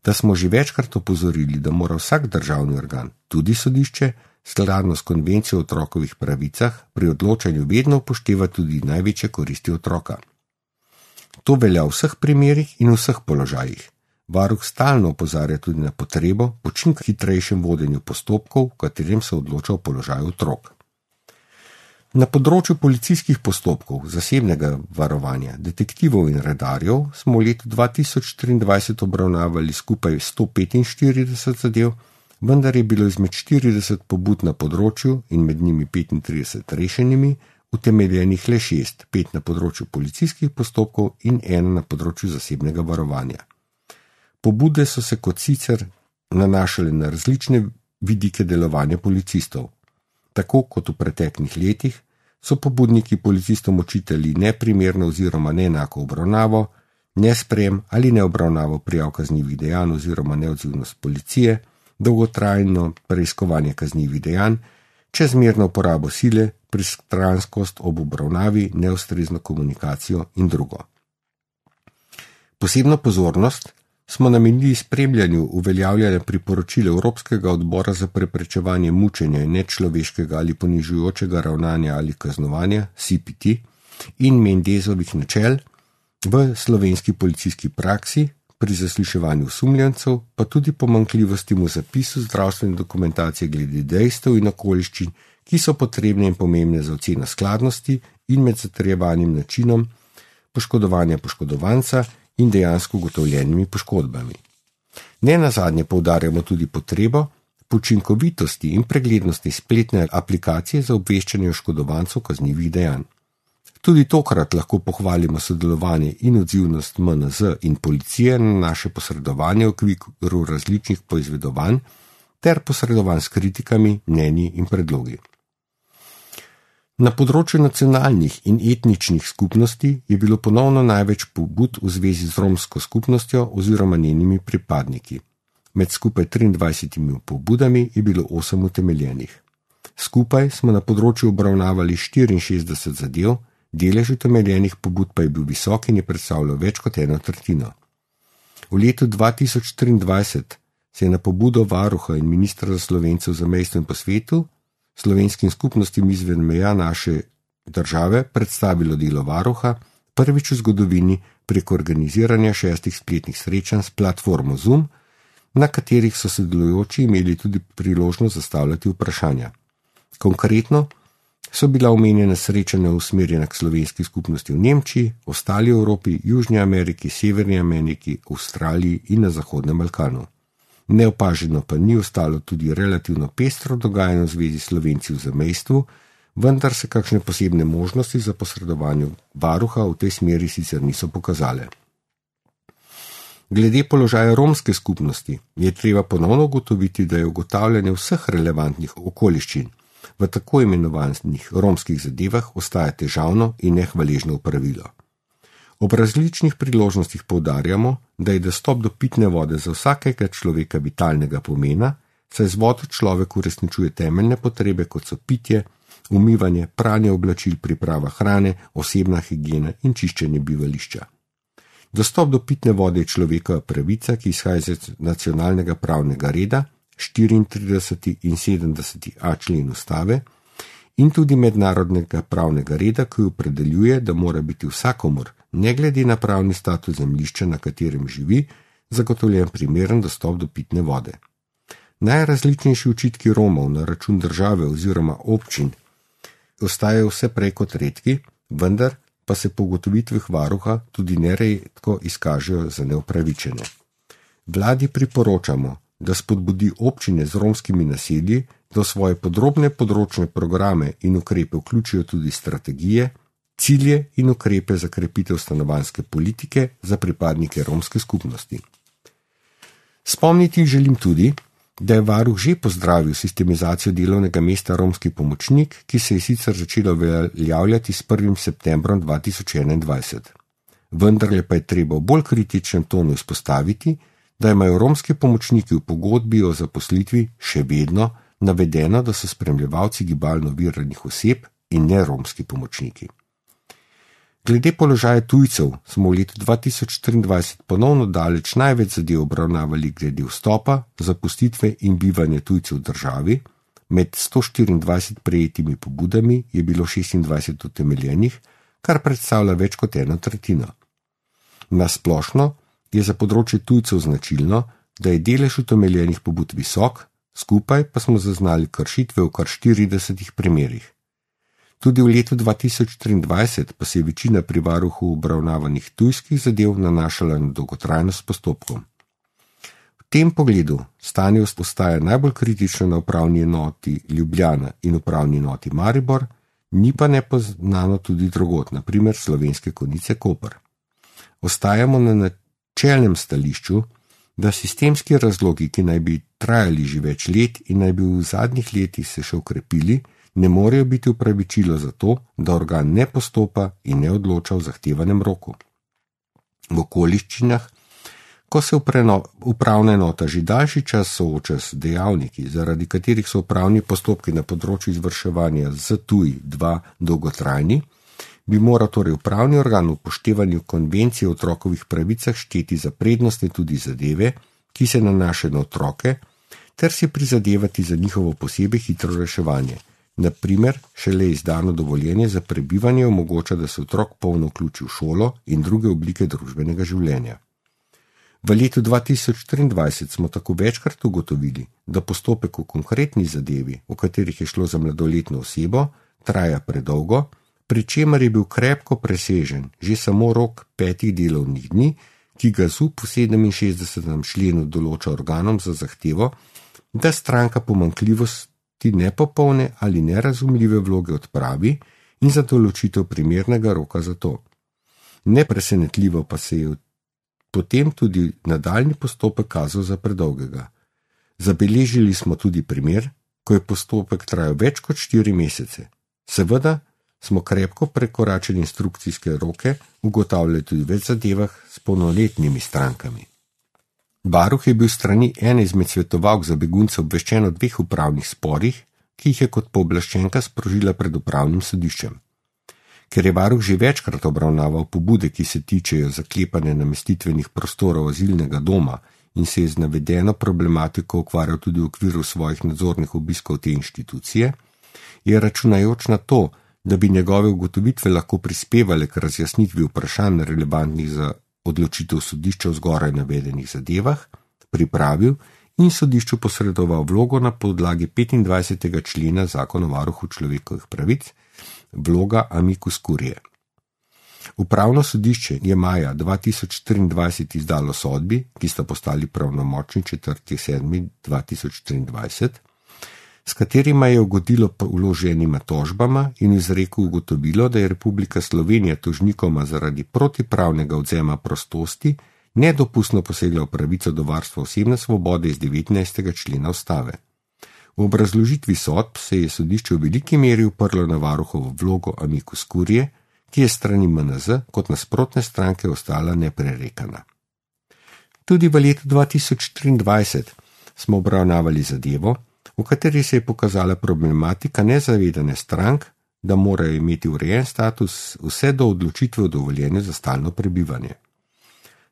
da smo že večkrat opozorili, da mora vsak državni organ, tudi sodišče, skladno s konvencijo o otrokovih pravicah, pri odločanju vedno upošteva tudi največje koristi otroka. To velja v vseh primerih in v vseh položajih. Varuh stalno opozarja tudi na potrebo po čim hitrejšem vodenju postopkov, v katerem se odloča o položaju otrok. Na področju policijskih postopkov, zasebnega varovanja, detektivov in redarjev smo v letu 2023 obravnavali skupaj 145 zadev, vendar je bilo izmed 40 pobud na področju in med njimi 35 rešenimi, utemeljenih le 6, 5 na področju policijskih postopkov in 1 na področju zasebnega varovanja. Pobude so se kot sicer nanašale na različne vidike delovanja policistov. Tako kot v preteklih letih so pobudniki policistom očitali neprimerno oziroma neenako obravnavo, nesprejem ali neobravnavo prijav kaznivih dejanj oziroma neodzivnost policije, dolgotrajno preiskovanje kaznivih dejanj, čezmerno uporabo sile, pristranskost ob obravnavi, neustrezno komunikacijo in drugo. Posebno pozornost smo namenili spremljanju uveljavljanja priporočil Evropskega odbora za preprečevanje mučenja in nečloveškega ali ponižujočega ravnanja ali kaznovanja, CPT, in Mendezovih načel v slovenski policijski praksi pri zasliševanju osumljencev, pa tudi pomanjkljivosti v zapisu zdravstvene dokumentacije glede dejstev in okoliščin, ki so potrebne in pomembne za oceno skladnosti in med zatrjevanim načinom poškodovanja poškodovanca in dejansko ugotovljenimi poškodbami. Nenazadnje poudarjamo tudi potrebo po učinkovitosti in preglednosti spletne aplikacije za obveščanje oškodovancev kaznivih dejanj. Tudi tokrat lahko pohvalimo sodelovanje in odzivnost MNZ in policije na naše posredovanje v okviru različnih poizvedovanj ter posredovanj s kritikami, mnenji in predlogi. Na področju nacionalnih in etničnih skupnosti je bilo ponovno največ pobud v zvezi z romsko skupnostjo oziroma njenimi pripadniki. Med skupaj 23 pobudami je bilo 8 utemeljenih. Skupaj smo na področju obravnavali 64 zadev, delež utemeljenih pobud pa je bil visok in je predstavljal več kot 1/3. V letu 2023 se je na pobudo varuha in ministra za Slovence v zamejstvu in po svetu slovenskim skupnostim izven meja naše države predstavilo delo varuha, prvič v zgodovini preko organiziranja 6 spletnih srečanj s platformo Zoom, na katerih so sodelujoči imeli tudi priložnost zastavljati vprašanja. Konkretno so bila omenjena srečanja usmerjena k slovenski skupnosti v Nemčiji, ostali Evropi, Južni Ameriki, Severni Ameriki, Avstraliji in na Zahodnem Balkanu. Neopaženo pa ni ostalo tudi relativno pestro dogajanje v zvezi s Slovenci v zamejstvu, vendar se kakšne posebne možnosti za posredovanje varuha v tej smeri sicer niso pokazale. Glede položaja romske skupnosti je treba ponovno ugotoviti, da je ugotavljanje vseh relevantnih okoliščin v tako imenovanih romskih zadevah ostaja težavno in nehvaležno opravilo. Ob različnih priložnostih poudarjamo, da je dostop do pitne vode za vsakega človeka vitalnega pomena, saj z vodo človek uresničuje temeljne potrebe, kot so pitje, umivanje, pranje oblačil, priprava hrane, osebna higiena in čiščenje bivališča. Dostop do pitne vode je človekova pravica, ki izhaja iz nacionalnega pravnega reda, 34. in 70a člen ustave, in tudi mednarodnega pravnega reda, ki opredeljuje, da mora biti vsakomur, ne glede na pravni status zemljišča, na katerem živi, zagotovljen primeren dostop do pitne vode. Najrazličnejši očitki Romov na račun države oziroma občin ostajajo vse prej kot redki, vendar pa se po ugotovitvah varuha tudi neredko izkažejo za neupravičene. Vladi priporočamo, da spodbudi občine z romskimi naselji, da v svoje podrobne področne programe in ukrepe vključijo tudi strategije, cilje in ukrepe za krepitev stanovanjske politike za pripadnike romske skupnosti. Spomniti želim tudi, da je varuh že pozdravil sistemizacijo delovnega mesta romski pomočnik, ki se je sicer začelo uveljavljati s 1. septembrom 2021. Vendarle pa je treba v bolj kritičnem tonu izpostaviti, da imajo romski pomočniki v pogodbi o zaposlitvi še vedno navedeno, da so spremljevalci gibalno oviranih oseb in ne romski pomočniki. Glede položaja tujcev smo v letu 2023 ponovno daleč največ zadev obravnavali glede vstopa, zapustitve in bivanja tujcev v državi. Med 124 prejetimi pobudami je bilo 26 utemeljenih, kar predstavlja več kot 1/3. Na splošno je za področje tujcev značilno, da je delež utemeljenih pobud visok, skupaj pa smo zaznali kršitve v kar 40 primerih. Tudi v letu 2023 pa se je večina pri varuhu obravnavanih tujskih zadev nanašala na dolgotrajnost postopkov. V tem pogledu stanje ostaja najbolj kritično na upravni enoti Ljubljana in upravni enoti Maribor, ni pa nepoznano tudi drugod, na primer Slovenske Konjice Koper. Ostajamo na načelnem stališču, da sistemski razlogi, ki naj bi trajali že več let in naj bi v zadnjih letih se še ukrepili, ne morejo biti upravičilo za to, da organ ne postopa in ne odloča v zahtevanem roku. V okoliščinah, ko se upravna enota že daljši čas sooča s dejavniki, zaradi katerih so upravni postopki na področju izvrševanja ZTuj-2 dolgotrajni, bi moral torej upravni organ v upoštevanju konvencije o otrokovih pravicah šteti za prednostne tudi zadeve, ki se nanašajo na otroke, ter si prizadevati za njihovo posebej hitro reševanje. Na primer, šele izdano dovoljenje za prebivanje omogoča, da se otrok polno vključi v šolo in druge oblike družbenega življenja. V letu 2023 smo tako večkrat ugotovili, da postopek v konkretni zadevi, v katerih je šlo za mladoletno osebo, traja predolgo, pri čemer je bil krepko presežen že samo rok 5 delovnih dni, ki ga ZUP v 67. členu določa organom za zahtevo, da stranka pomanjkljivosti nepopolne ali nerazumljive vloge odpravi in za določitev primernega roka za to. Nepresenetljivo pa se je potem tudi nadaljnji postopek kazal za predolgega. Zabeležili smo tudi primer, ko je postopek trajal več kot 4 mesece. Seveda smo krepko prekoračili instrukcijske roke, ugotavljali tudi več zadevah s polnoletnimi strankami. Varuh je bil strani ene izmed svetovalk za begunce obveščen o 2 upravnih sporih, ki jih je kot pooblaščenka sprožila pred upravnim sodiščem. Ker je varuh že večkrat obravnaval pobude, ki se tičejo zaklepanja namestitvenih prostorov azilnega doma in se je z navedeno problematiko ukvarjal tudi v okviru svojih nadzornih obiskov te inštitucije, je računajoč na to, da bi njegove ugotovitve lahko prispevale k razjasnitvi vprašanj relevantnih za odločitev sodišča v zgoraj navedenih zadevah, pripravil in sodišču posredoval vlogo na podlagi 25. člena Zakona o varuhu človekovih pravic, vloga amicus curiae. Upravno sodišče je maja 2023 izdalo sodbi, ki sta postali pravnomočni 4.7.2023, s katerima je ugodilo vloženima tožbama in izreku ugotovilo, da je Republika Slovenija tožnikoma zaradi protipravnega odvzema prostosti nedopustno posegla v pravico do varstva osebne svobode iz 19. člena ustave. V obrazložitvi sodb se je sodišče v veliki meri uprlo na varuhovo vlogo amicus curiae, ki je strani MNZ kot nasprotne stranke ostala neprerekana. Tudi v letu 2023 smo obravnavali zadevo, v kateri se je pokazala problematika nezavedane strank, da morajo imeti urejen status vse do odločitve o dovoljenju za stalno prebivanje.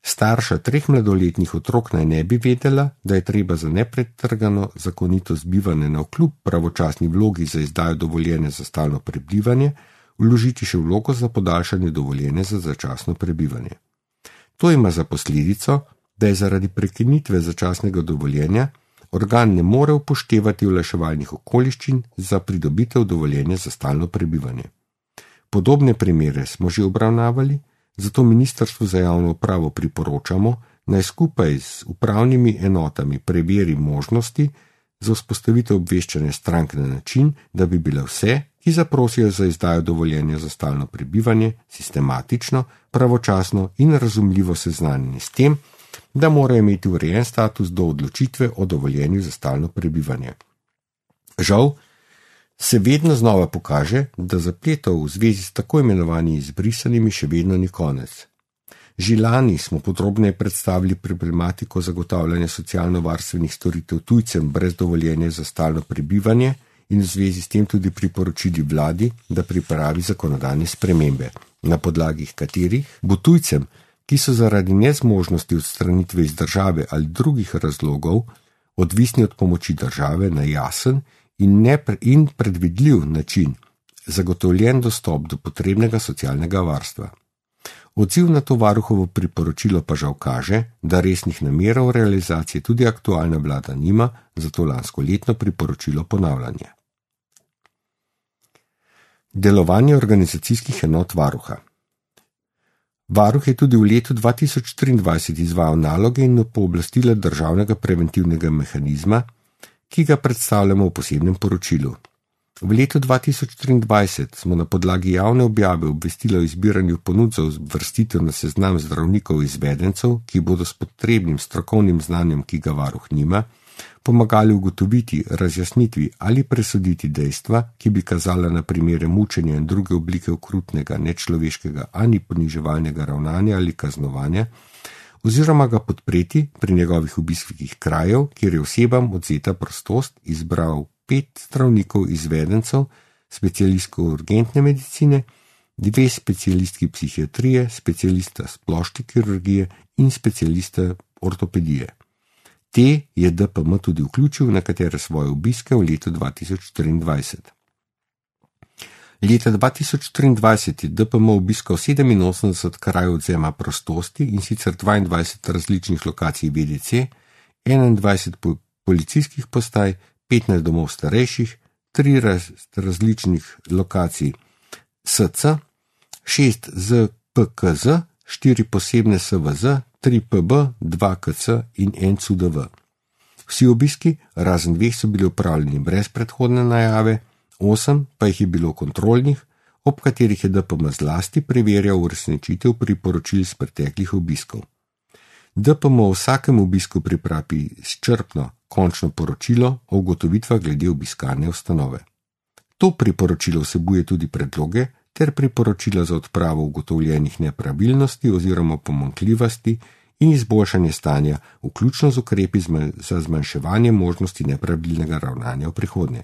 Starša 3 mladoletnih otrok naj ne bi vedela, da je treba za nepretrgano zakonitost bivanja navkljub pravočasni vlogi za izdajo dovoljenja za stalno prebivanje vložiti še vlogo za podaljšanje dovoljenja za začasno prebivanje. To ima za posledico, da je zaradi prekinitve začasnega dovoljenja organ ne more upoštevati olajševalnih okoliščin za pridobitev dovoljenja za stalno prebivanje. Podobne primere smo že obravnavali, zato Ministrstvu za javno upravo priporočamo, naj skupaj z upravnimi enotami preveri možnosti za vzpostavitev obveščanja strank na način, da bi bile vse, ki zaprosijo za izdajo dovoljenja za stalno prebivanje, sistematično, pravočasno in razumljivo seznanjeni s tem, da morajo imeti urejen status do odločitve o dovoljenju za stalno prebivanje. Žal se vedno znova pokaže, da zapletov v zvezi s tako imenovanimi izbrisanimi še vedno ni konec. Že lani smo podrobneje predstavili problematiko zagotavljanja socialno-varstvenih storitev tujcem brez dovoljenja za stalno prebivanje in v zvezi s tem tudi priporočili vladi, da pripravi zakonodajne spremembe, na podlagi katerih bo tujcem, ki so zaradi nezmožnosti odstranitve iz države ali drugih razlogov odvisni od pomoči države na jasen in predvidljiv način zagotovljen dostop do potrebnega socialnega varstva. Odziv na to varuhovo priporočilo pa žal kaže, da resnih namerov realizacije tudi aktualna vlada nima, zato lansko letno priporočilo ponavljanje. Delovanje organizacijskih enot varuha. Varuh je tudi v letu 2023 izvajal naloge in pooblastila državnega preventivnega mehanizma, ki ga predstavljamo v posebnem poročilu. V letu 2023 smo na podlagi javne objave obvestila o izbiranju ponudb za uvrstitev na seznam zdravnikov izvedencev, ki bodo s potrebnim strokovnim znanjem, ki ga varuh nima, pomagali ugotoviti, razjasnitvi ali presoditi dejstva, ki bi kazala na primere mučenja in druge oblike okrutnega, nečloveškega ali poniževalnega ravnanja ali kaznovanja, oziroma ga podpreti pri njegovih obiskih krajev, kjer je osebam odvzeta prostost, izbral 5 zdravnikov izvedencev, specialistov urgentne medicine, 2 specialistki psihiatrije, specialista splošne kirurgije in specialista ortopedije. Te je DPM tudi vključil na nekatere svoje obiske v letu 2024. Leta 2023 je DPM obiskal 87 krajev odvzema prostosti, in sicer 22 različnih lokacij VDC, 21 policijskih postaj, 15 domov starejših, 3 različnih lokacij SC, 6 ZPKZ, 4 posebne SVZ, 3 PB, 2 KC in 1 CUDV. Vsi obiski, razen 2, so bili opravljeni brez predhodne najave, 8 pa jih je bilo kontrolnih, ob katerih je DPM zlasti preverjal uresničitev priporočil z preteklih obiskov. DPM v vsakem obisku pripravi izčrpno končno poročilo o ugotovitvah glede obiskane ustanove. To priporočilo vsebuje tudi predloge ter priporočila za odpravo ugotovljenih nepravilnosti oziroma pomanjkljivosti in izboljšanje stanja, vključno z ukrepi za zmanjševanje možnosti nepravilnega ravnanja v prihodnje.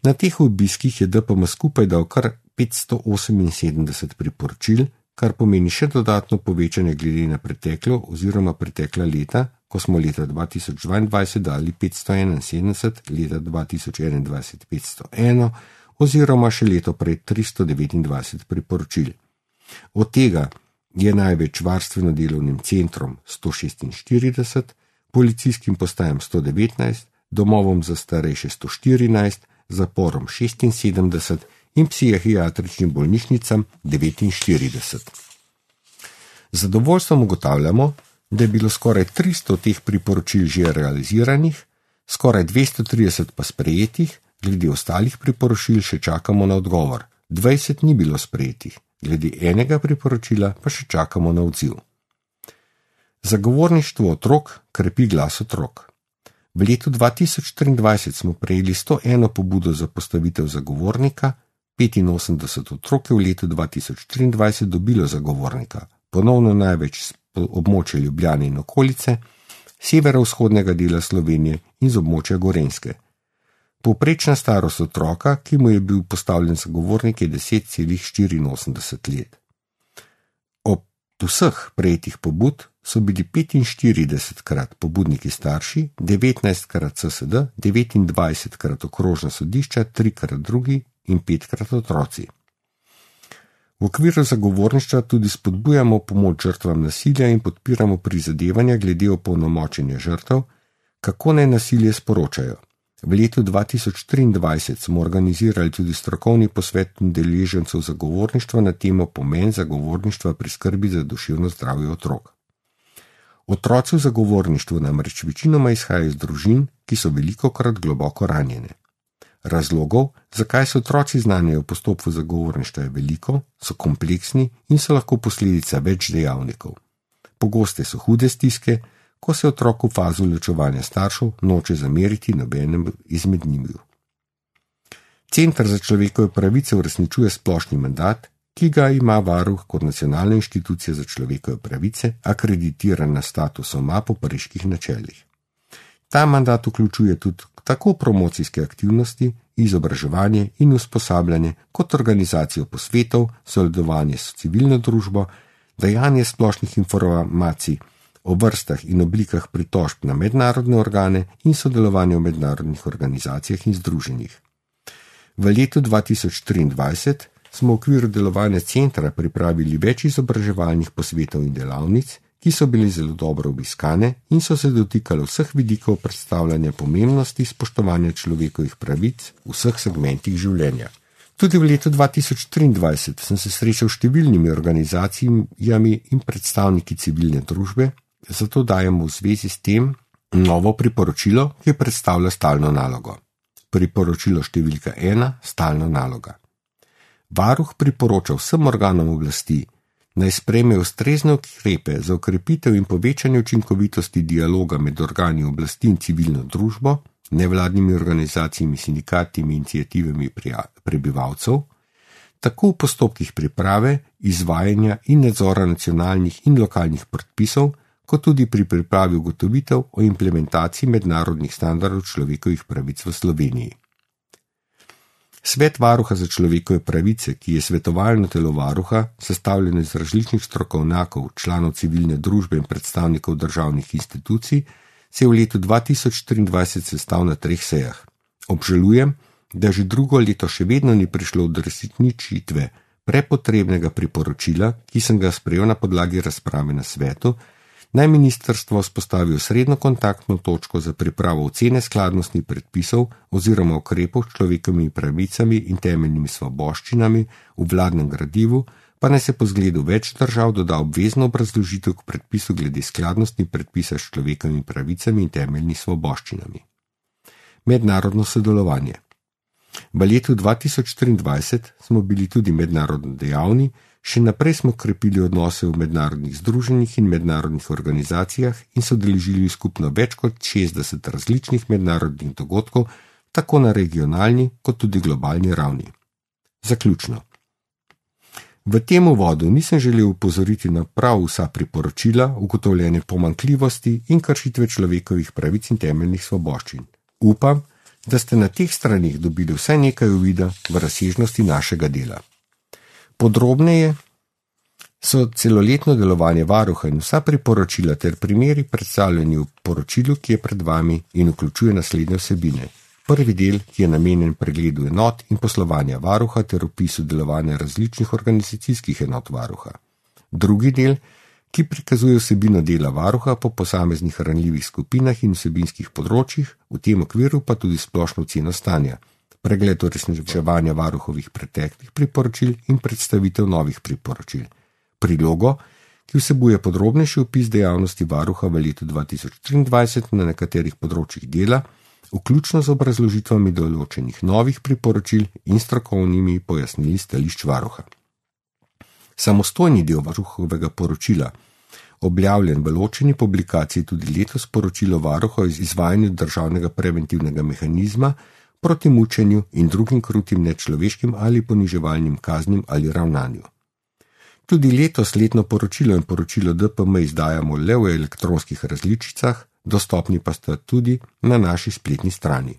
Na teh obiskih je DPM skupaj dal kar 578 priporočil, kar pomeni še dodatno povečanje glede na preteklo oziroma pretekla leta, ko smo leta 2022 dali 571, leta 2021 501 oziroma še leto prej 329 priporočil. Od tega je največ varstveno delovnim centrom 146, policijskim postajam 119, domovom za starejše 114, zaporom 76 in psihiatričnim bolnišnicam 49. Z zadovoljstvom ugotavljamo, da je bilo skoraj 300 teh priporočil že realiziranih, skoraj 230 pa sprejetih, glede ostalih priporočil še čakamo na odgovor, 20 ni bilo sprejetih, glede enega priporočila pa še čakamo na odziv. Zagovorništvo otrok krepi glas otrok. V letu 2023 smo prejeli 101 pobudo za postavitev zagovornika, 85 otrok je v letu 2023 dobilo zagovornika, ponovno največ z območja Ljubljane in okolice, severovzhodnega dela Slovenije in z območja Gorenjske. Povprečna starost otroka, ki mu je bil postavljen zagovornik, je 10,84 let. Ob vseh prejetih pobud so bili 45krat pobudniki starši, 19krat CSD, 29krat okrožna sodišča, 3krat drugi in 5krat otroci. V okviru zagovorništva tudi spodbujamo pomoč žrtvam nasilja in podpiramo prizadevanja glede opolnomočenja žrtev, kako naj nasilje sporočajo. V letu 2023 smo organizirali tudi strokovni posvet udeležencev zagovorništva na temo pomen zagovorništva pri skrbi za duševno zdravje otrok. Otroci v zagovorništvu namreč večinoma izhajajo iz družin, ki so velikokrat globoko ranjene. Razlogov, zakaj se otroci znanjajo v postopku zagovorništva, je veliko, so kompleksni in so lahko posledica več dejavnikov. Pogoste so hude stiske, ko se otrok v fazu ločevanja staršev noče zameriti nobenem izmed njiju. Center za človekove pravice uresničuje splošni mandat, ki ga ima varuh kot nacionalna inštitucija za človekove pravice, akreditiran na statusu po pariških načelih. Ta mandat vključuje tudi tako promocijske aktivnosti, izobraževanje in usposabljanje, kot organizacijo posvetov, sodelovanje s civilno družbo, dajanje splošnih informacij o vrstah in oblikah pritožb na mednarodne organe in sodelovanje v mednarodnih organizacijah in združenjih. V letu 2023 smo v okviru delovanja centra pripravili več izobraževalnih posvetov in delavnic, ki so bili zelo dobro obiskane in so se dotikali vseh vidikov predstavljanja pomembnosti spoštovanja človekovih pravic v vseh segmentih življenja. Tudi v letu 2023 sem se srečal s številnimi organizacijami in predstavniki civilne družbe, zato dajemo v zvezi s tem novo priporočilo, ki predstavlja stalno nalogo. Priporočilo številka 1, stalna naloga. Varuh priporoča vsem organom oblasti, naj sprejmejo ustrezne ukrepe za okrepitev in povečanje učinkovitosti dialoga med organi oblasti in civilno družbo, nevladnimi organizacijami, sindikati in iniciativami prebivalcev, tako v postopkih priprave, izvajanja in nadzora nacionalnih in lokalnih predpisov, kot tudi pri pripravi ugotovitev o implementaciji mednarodnih standardov človekovih pravic v Sloveniji. Svet varuha za človekove pravice, ki je svetovalno telo varuha, sestavljeno iz različnih strokovnjakov, članov civilne družbe in predstavnikov državnih institucij, se je v letu 2023 sestal na 3 sejah. Obžalujem, da že drugo leto še vedno ni prišlo do uresničitve prepotrebnega priporočila, ki sem ga sprejel na podlagi razprave na svetu, naj ministrstvo vzpostavi srednjo kontaktno točko za pripravo ocene skladnosti predpisov oziroma ukrepov s človekovimi pravicami in temeljnimi svoboščinami v vladnem gradivu, pa naj se po zgledu več držav doda obvezno obrazložitev k predpisu glede skladnosti predpisa s človekovimi pravicami in temeljnimi svoboščinami. Mednarodno sodelovanje. V letu 2023 smo bili tudi mednarodno dejavni, še naprej smo krepili odnose v mednarodnih združenjih in mednarodnih organizacijah in so udeležili skupno več kot 60 različnih mednarodnih dogodkov, tako na regionalni kot tudi globalni ravni. Zaključno. V tem uvodu nisem želel upozoriti na prav vsa priporočila, ugotovljene pomanjkljivosti in kršitve človekovih pravic in temeljnih svoboščin. Upam, da ste na teh stranih dobili vsaj nekaj uvida v razsežnosti našega dela. Podrobneje so celoletno delovanje varuha in vsa priporočila ter primeri predstavljeni v poročilu, ki je pred vami in vključuje naslednje vsebine. Prvi del, ki je namenjen pregledu enot in poslovanja varuha ter opisu delovanja različnih organizacijskih enot varuha. Drugi del, ki prikazuje vsebino dela varuha po posameznih ranljivih skupinah in vsebinskih področjih, v tem okviru pa tudi splošno oceno stanja, pregled uresničevanja varuhovih preteklih priporočil in predstavitev novih priporočil. Prilogo, ki vsebuje podrobnejši opis dejavnosti varuha v letu 2023 na nekaterih področjih dela, vključno z obrazložitvami določenih novih priporočil in strokovnimi pojasnili stališč varuha. Samostojni del varuhovega poročila, objavljen v ločeni publikaciji tudi letos poročilo varuha o izvajanju državnega preventivnega mehanizma proti mučenju in drugim krutim nečloveškim ali poniževalnim kaznim ali ravnanju. Tudi letos letno poročilo in poročilo DPM izdajamo le v elektronskih različicah, dostopni pa sta tudi na naši spletni strani.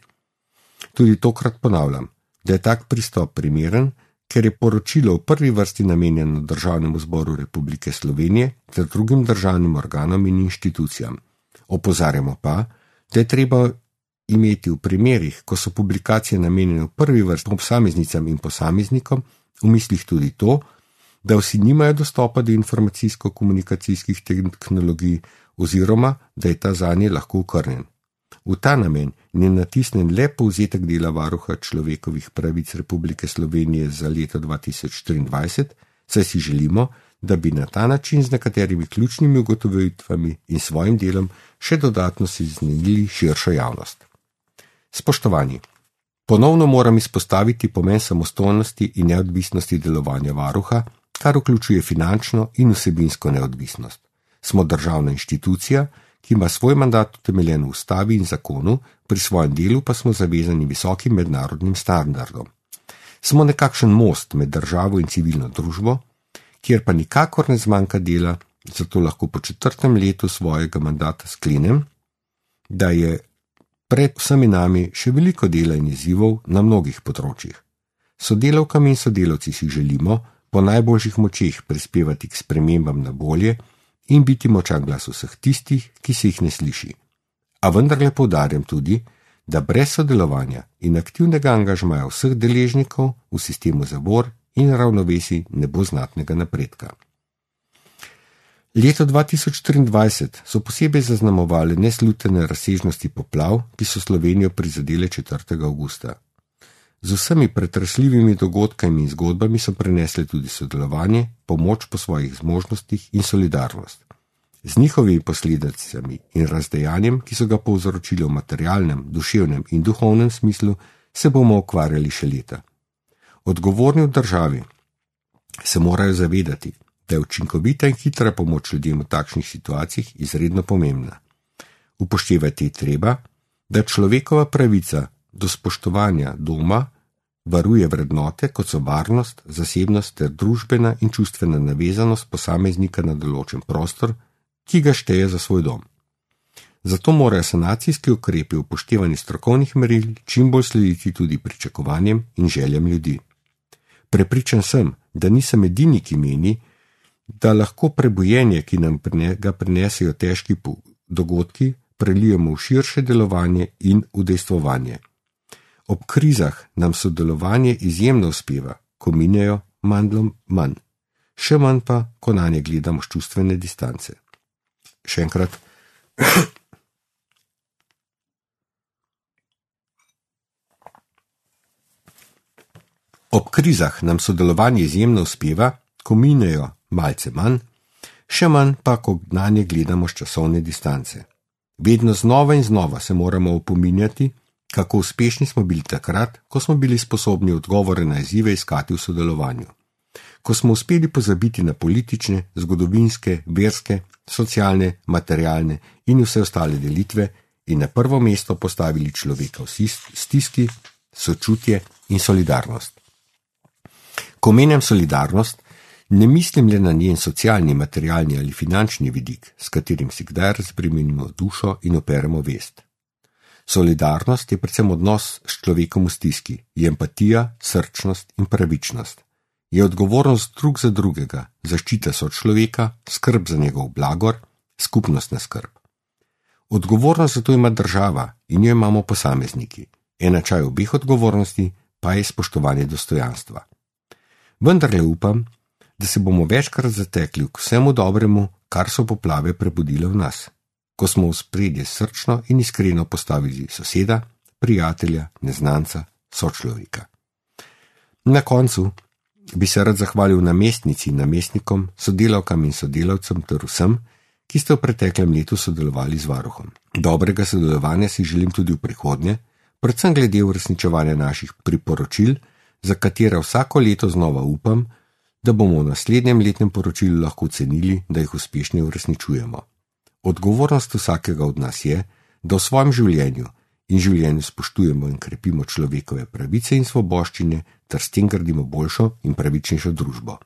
Tudi tokrat ponavljam, da je tak pristop primeren, ker je poročilo v prvi vrsti namenjeno Državnemu zboru Republike Slovenije ter drugim državnim organom in inštitucijam. Opozarjamo pa, da je treba imeti v primerih, ko so publikacije namenjene v prvi vrsti posameznicam in posameznikom, v mislih tudi to, da vsi nimajo dostopa do informacijsko-komunikacijskih tehnologij oziroma da je ta zanje lahko okrnjen. V ta namen je natisnen le povzetek dela varuha človekovih pravic Republike Slovenije za leto 2023, saj si želimo, da bi na ta način z nekaterimi ključnimi ugotovitvami in svojim delom še dodatno seznanili širšo javnost. Spoštovani, ponovno moram izpostaviti pomen samostojnosti in neodvisnosti delovanja varuha, kar vključuje finančno in vsebinsko neodvisnost. Smo državna inštitucija, ki ima svoj mandat utemeljen v ustavi in zakonu, pri svojem delu pa smo zavezani visokim mednarodnim standardom. Smo nekakšen most med državo in civilno družbo, kjer pa nikakor ne zmanjka dela, zato lahko po 4. letu svojega mandata sklenem, da je pred vsemi nami še veliko dela in izzivov na mnogih področjih. Sodelavkami in sodelavci si želimo po najboljših močeh prispevati k spremembam na bolje in biti močan glas vseh tistih, ki se jih ne sliši. A vendarle poudarjam tudi, da brez sodelovanja in aktivnega angažmaja vseh deležnikov v sistemu zavor in ravnovesij ne bo znatnega napredka. Leto 2023 so posebej zaznamovale neslutene razsežnosti poplav, ki so Slovenijo prizadele 4. avgusta. Z vsemi pretresljivimi dogodkami in zgodbami so prenesle tudi sodelovanje, pomoč po svojih zmožnostih in solidarnost. Z njihovimi posledicami in razdejanjem, ki so ga povzročili v materialnem, duševnem in duhovnem smislu, se bomo ukvarjali še leta. Odgovorni v državi se morajo zavedati, da je učinkovita in hitra pomoč ljudem v takšnih situacijah izredno pomembna. Upoštevati je treba, da človekova pravica do spoštovanja doma varuje vrednote, kot so varnost, zasebnost ter družbena in čustvena navezanost posameznika na določen prostor, ki ga šteje za svoj dom. Zato morajo sanacijski ukrepi upoštevani strokovnih meril čim bolj slediti tudi pričakovanjem in željam ljudi. Prepričan sem, da nisem edini, ki meni, da lahko prebojenje, ki nam ga prinesejo težki dogodki, prelijemo v širše delovanje in udejstvovanje. Ob krizah nam sodelovanje izjemno uspeva, ko minejo mandlom manj. Še manj pa, ko na nje gledamo s čustvene distance. Še enkrat. Ob krizah nam sodelovanje izjemno uspeva, ko minejo malce manj, še manj pa, ko na nje gledamo s časovne distance. Vedno znova in znova se moramo opominjati, kako uspešni smo bili takrat, ko smo bili sposobni odgovore na izzive iskati v sodelovanju. Ko smo uspeli pozabiti na politične, zgodovinske, verske, socialne, materialne in vse ostale delitve in na prvo mesto postavili človeka v stiski, sočutje in solidarnost. Ko omenjam solidarnost, ne mislim le na njen socialni, materialni ali finančni vidik, s katerim si kdaj razbremenimo dušo in operemo vest. Solidarnost je predvsem odnos s človekom v stiski, je empatija, srčnost in pravičnost. Je odgovornost drug za drugega, zaščita sočloveka, skrb za njegov blagor, skupnostna skrb. Odgovornost za to ima država in jo imamo posamezniki. Enačaj obeh odgovornosti pa je spoštovanje dostojanstva. Vendarle upam, da se bomo večkrat zatekli k vsemu dobremu, kar so poplave prebudile v nas, ko smo v spredje srčno in iskreno postavili soseda, prijatelja, neznanca, sočloveka. Na koncu bi se rad zahvalil namestnici in namestnikom, sodelavkam in sodelavcem ter vsem, ki ste v preteklem letu sodelovali z varuhom. Dobrega sodelovanja si želim tudi v prihodnje, predvsem glede uresničevanja naših priporočil, za katera vsako leto znova upam, da bomo v naslednjem letnem poročilu lahko ocenili, da jih uspešno uresničujemo. Odgovornost vsakega od nas je, da v svojem življenju in življenju spoštujemo in krepimo človekove pravice in svoboščine ter s tem gradimo boljšo in pravičnejšo družbo.